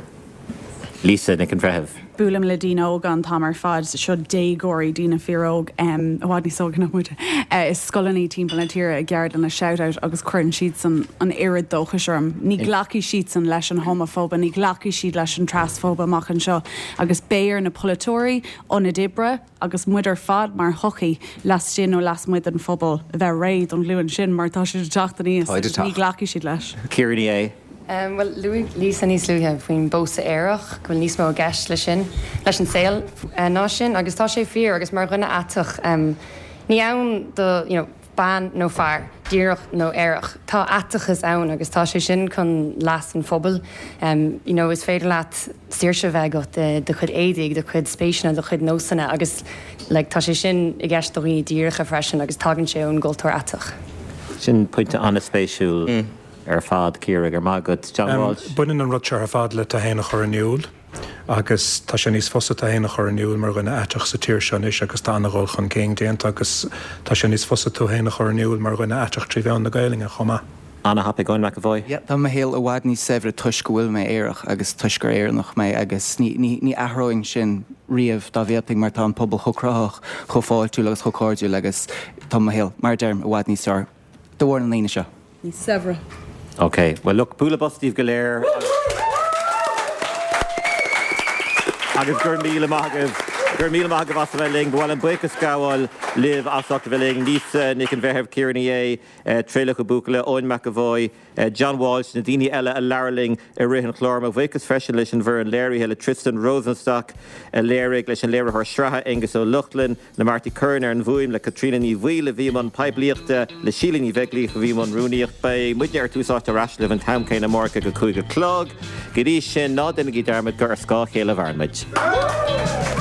Lisa Nic an Bhreithimh. Buailim le daoine óga an t-am ar fad, seo déagóirí, daoine fíoróg, i bhfad níos óige ná muid, i scoileanna timpeall na tíre i gceardlanna Shout Out agus cuireann siadsan an oiread dóchais orm. Ní ghlacfaidh siadsan leis an homafóibe, ní ghlacfaidh siad leis an trasfóibe amach anseo agus beidh ar na polaiteoirí, ionaid oibre agus muid ar fad mar shochaí, laistigh nó lasmuigh den phobal, a bheith réidh don ghlúin sin mar tá siad ag teacht aníos agus ní ghlacfaidh siad leis. Ciara Ní É. Bhuel, luaigh Lisa níos luaithe faoin bpósadh aerach, go bhfuil níos mó i gceist leis sin, leis an saol ná sin, agus tá sé fíor, agus mar dhuine aiteach, ní ann do, you know, bean nó fear, díreach nó aerach, tá aiteachas ann agus tá sé sin chun leas an phobail. You know, is féidir leat saoirse a bheith agat i do chuid éadaigh, do chuid spéiseanna, do chuid nósanna agus like tá sé sin i gceist do dhaoine díreacha freisin agus tagann sé ón gcultúr aiteach. Sin pointe an-spéisiúil. ar fad, Ciara, go raibh maith agat. John Walsh. Baineann an rud seo ar fad le tú féin a chur in iúl agus tá sé níos fusa tú féin a chur in iúl mar dhuine aiteach sa tír seo anois agus tá an-dhul chun cinn déanta agus tá sé níos fusa tú féin a chur in iúl mar dhuine aiteach trí mheán na Gaelainne chomh maith. An-thapaidh, Eoin McEvoy. Yeah, tá mo shaol i bhfad níos saibhre toisc go bhfuil mé aerach agus toisc gur Éireannach mé agus ní, ní, ní athróinn sin riamh dá bhféadfainn mar tá an pobal chomh cruthaitheach, chomh fáiltiúil agus chomh cairdiúil agus tá mo shaol, mar a deirim, i bhfad níos fearr de bharr na ndaoine seo. Níos saibhre. Ok, well look, bualadh bos daoibh go léir agus go raibh míle maith agaibh, go raibh míle maith agaibh as a bheith linn. Ba mhaith liom buíochas gabháil libh as ucht a bheith linn, Lisa Nic an Bhreithimh, Ciara Ní É, Traolach Ó Buachalla, Eoin McEvoy, John Walsh, na daoine eile a labhair linn i rith an chláir. Mo bhuíochas freisin leis an bhfoireann léirithe, le Tristan Rosenstock a léirigh, leis an léiritheoir sraithe Aengus Ó Lochlainn, le Marty Curran ar an bhfuaim, le Caitríona Ní Bhaoill a bhí i mbun poiblíochta, le Síle Ní Bheaglaoich a bhí i mbun rúnaíocht. Beidh muidne ar Tús Áite ar ais libh an t-am céanna amárach ag a cúig a chlog. Go dtí sin, ná déanaigí dearmad gur ar scáth a chéile a mhaireann muid.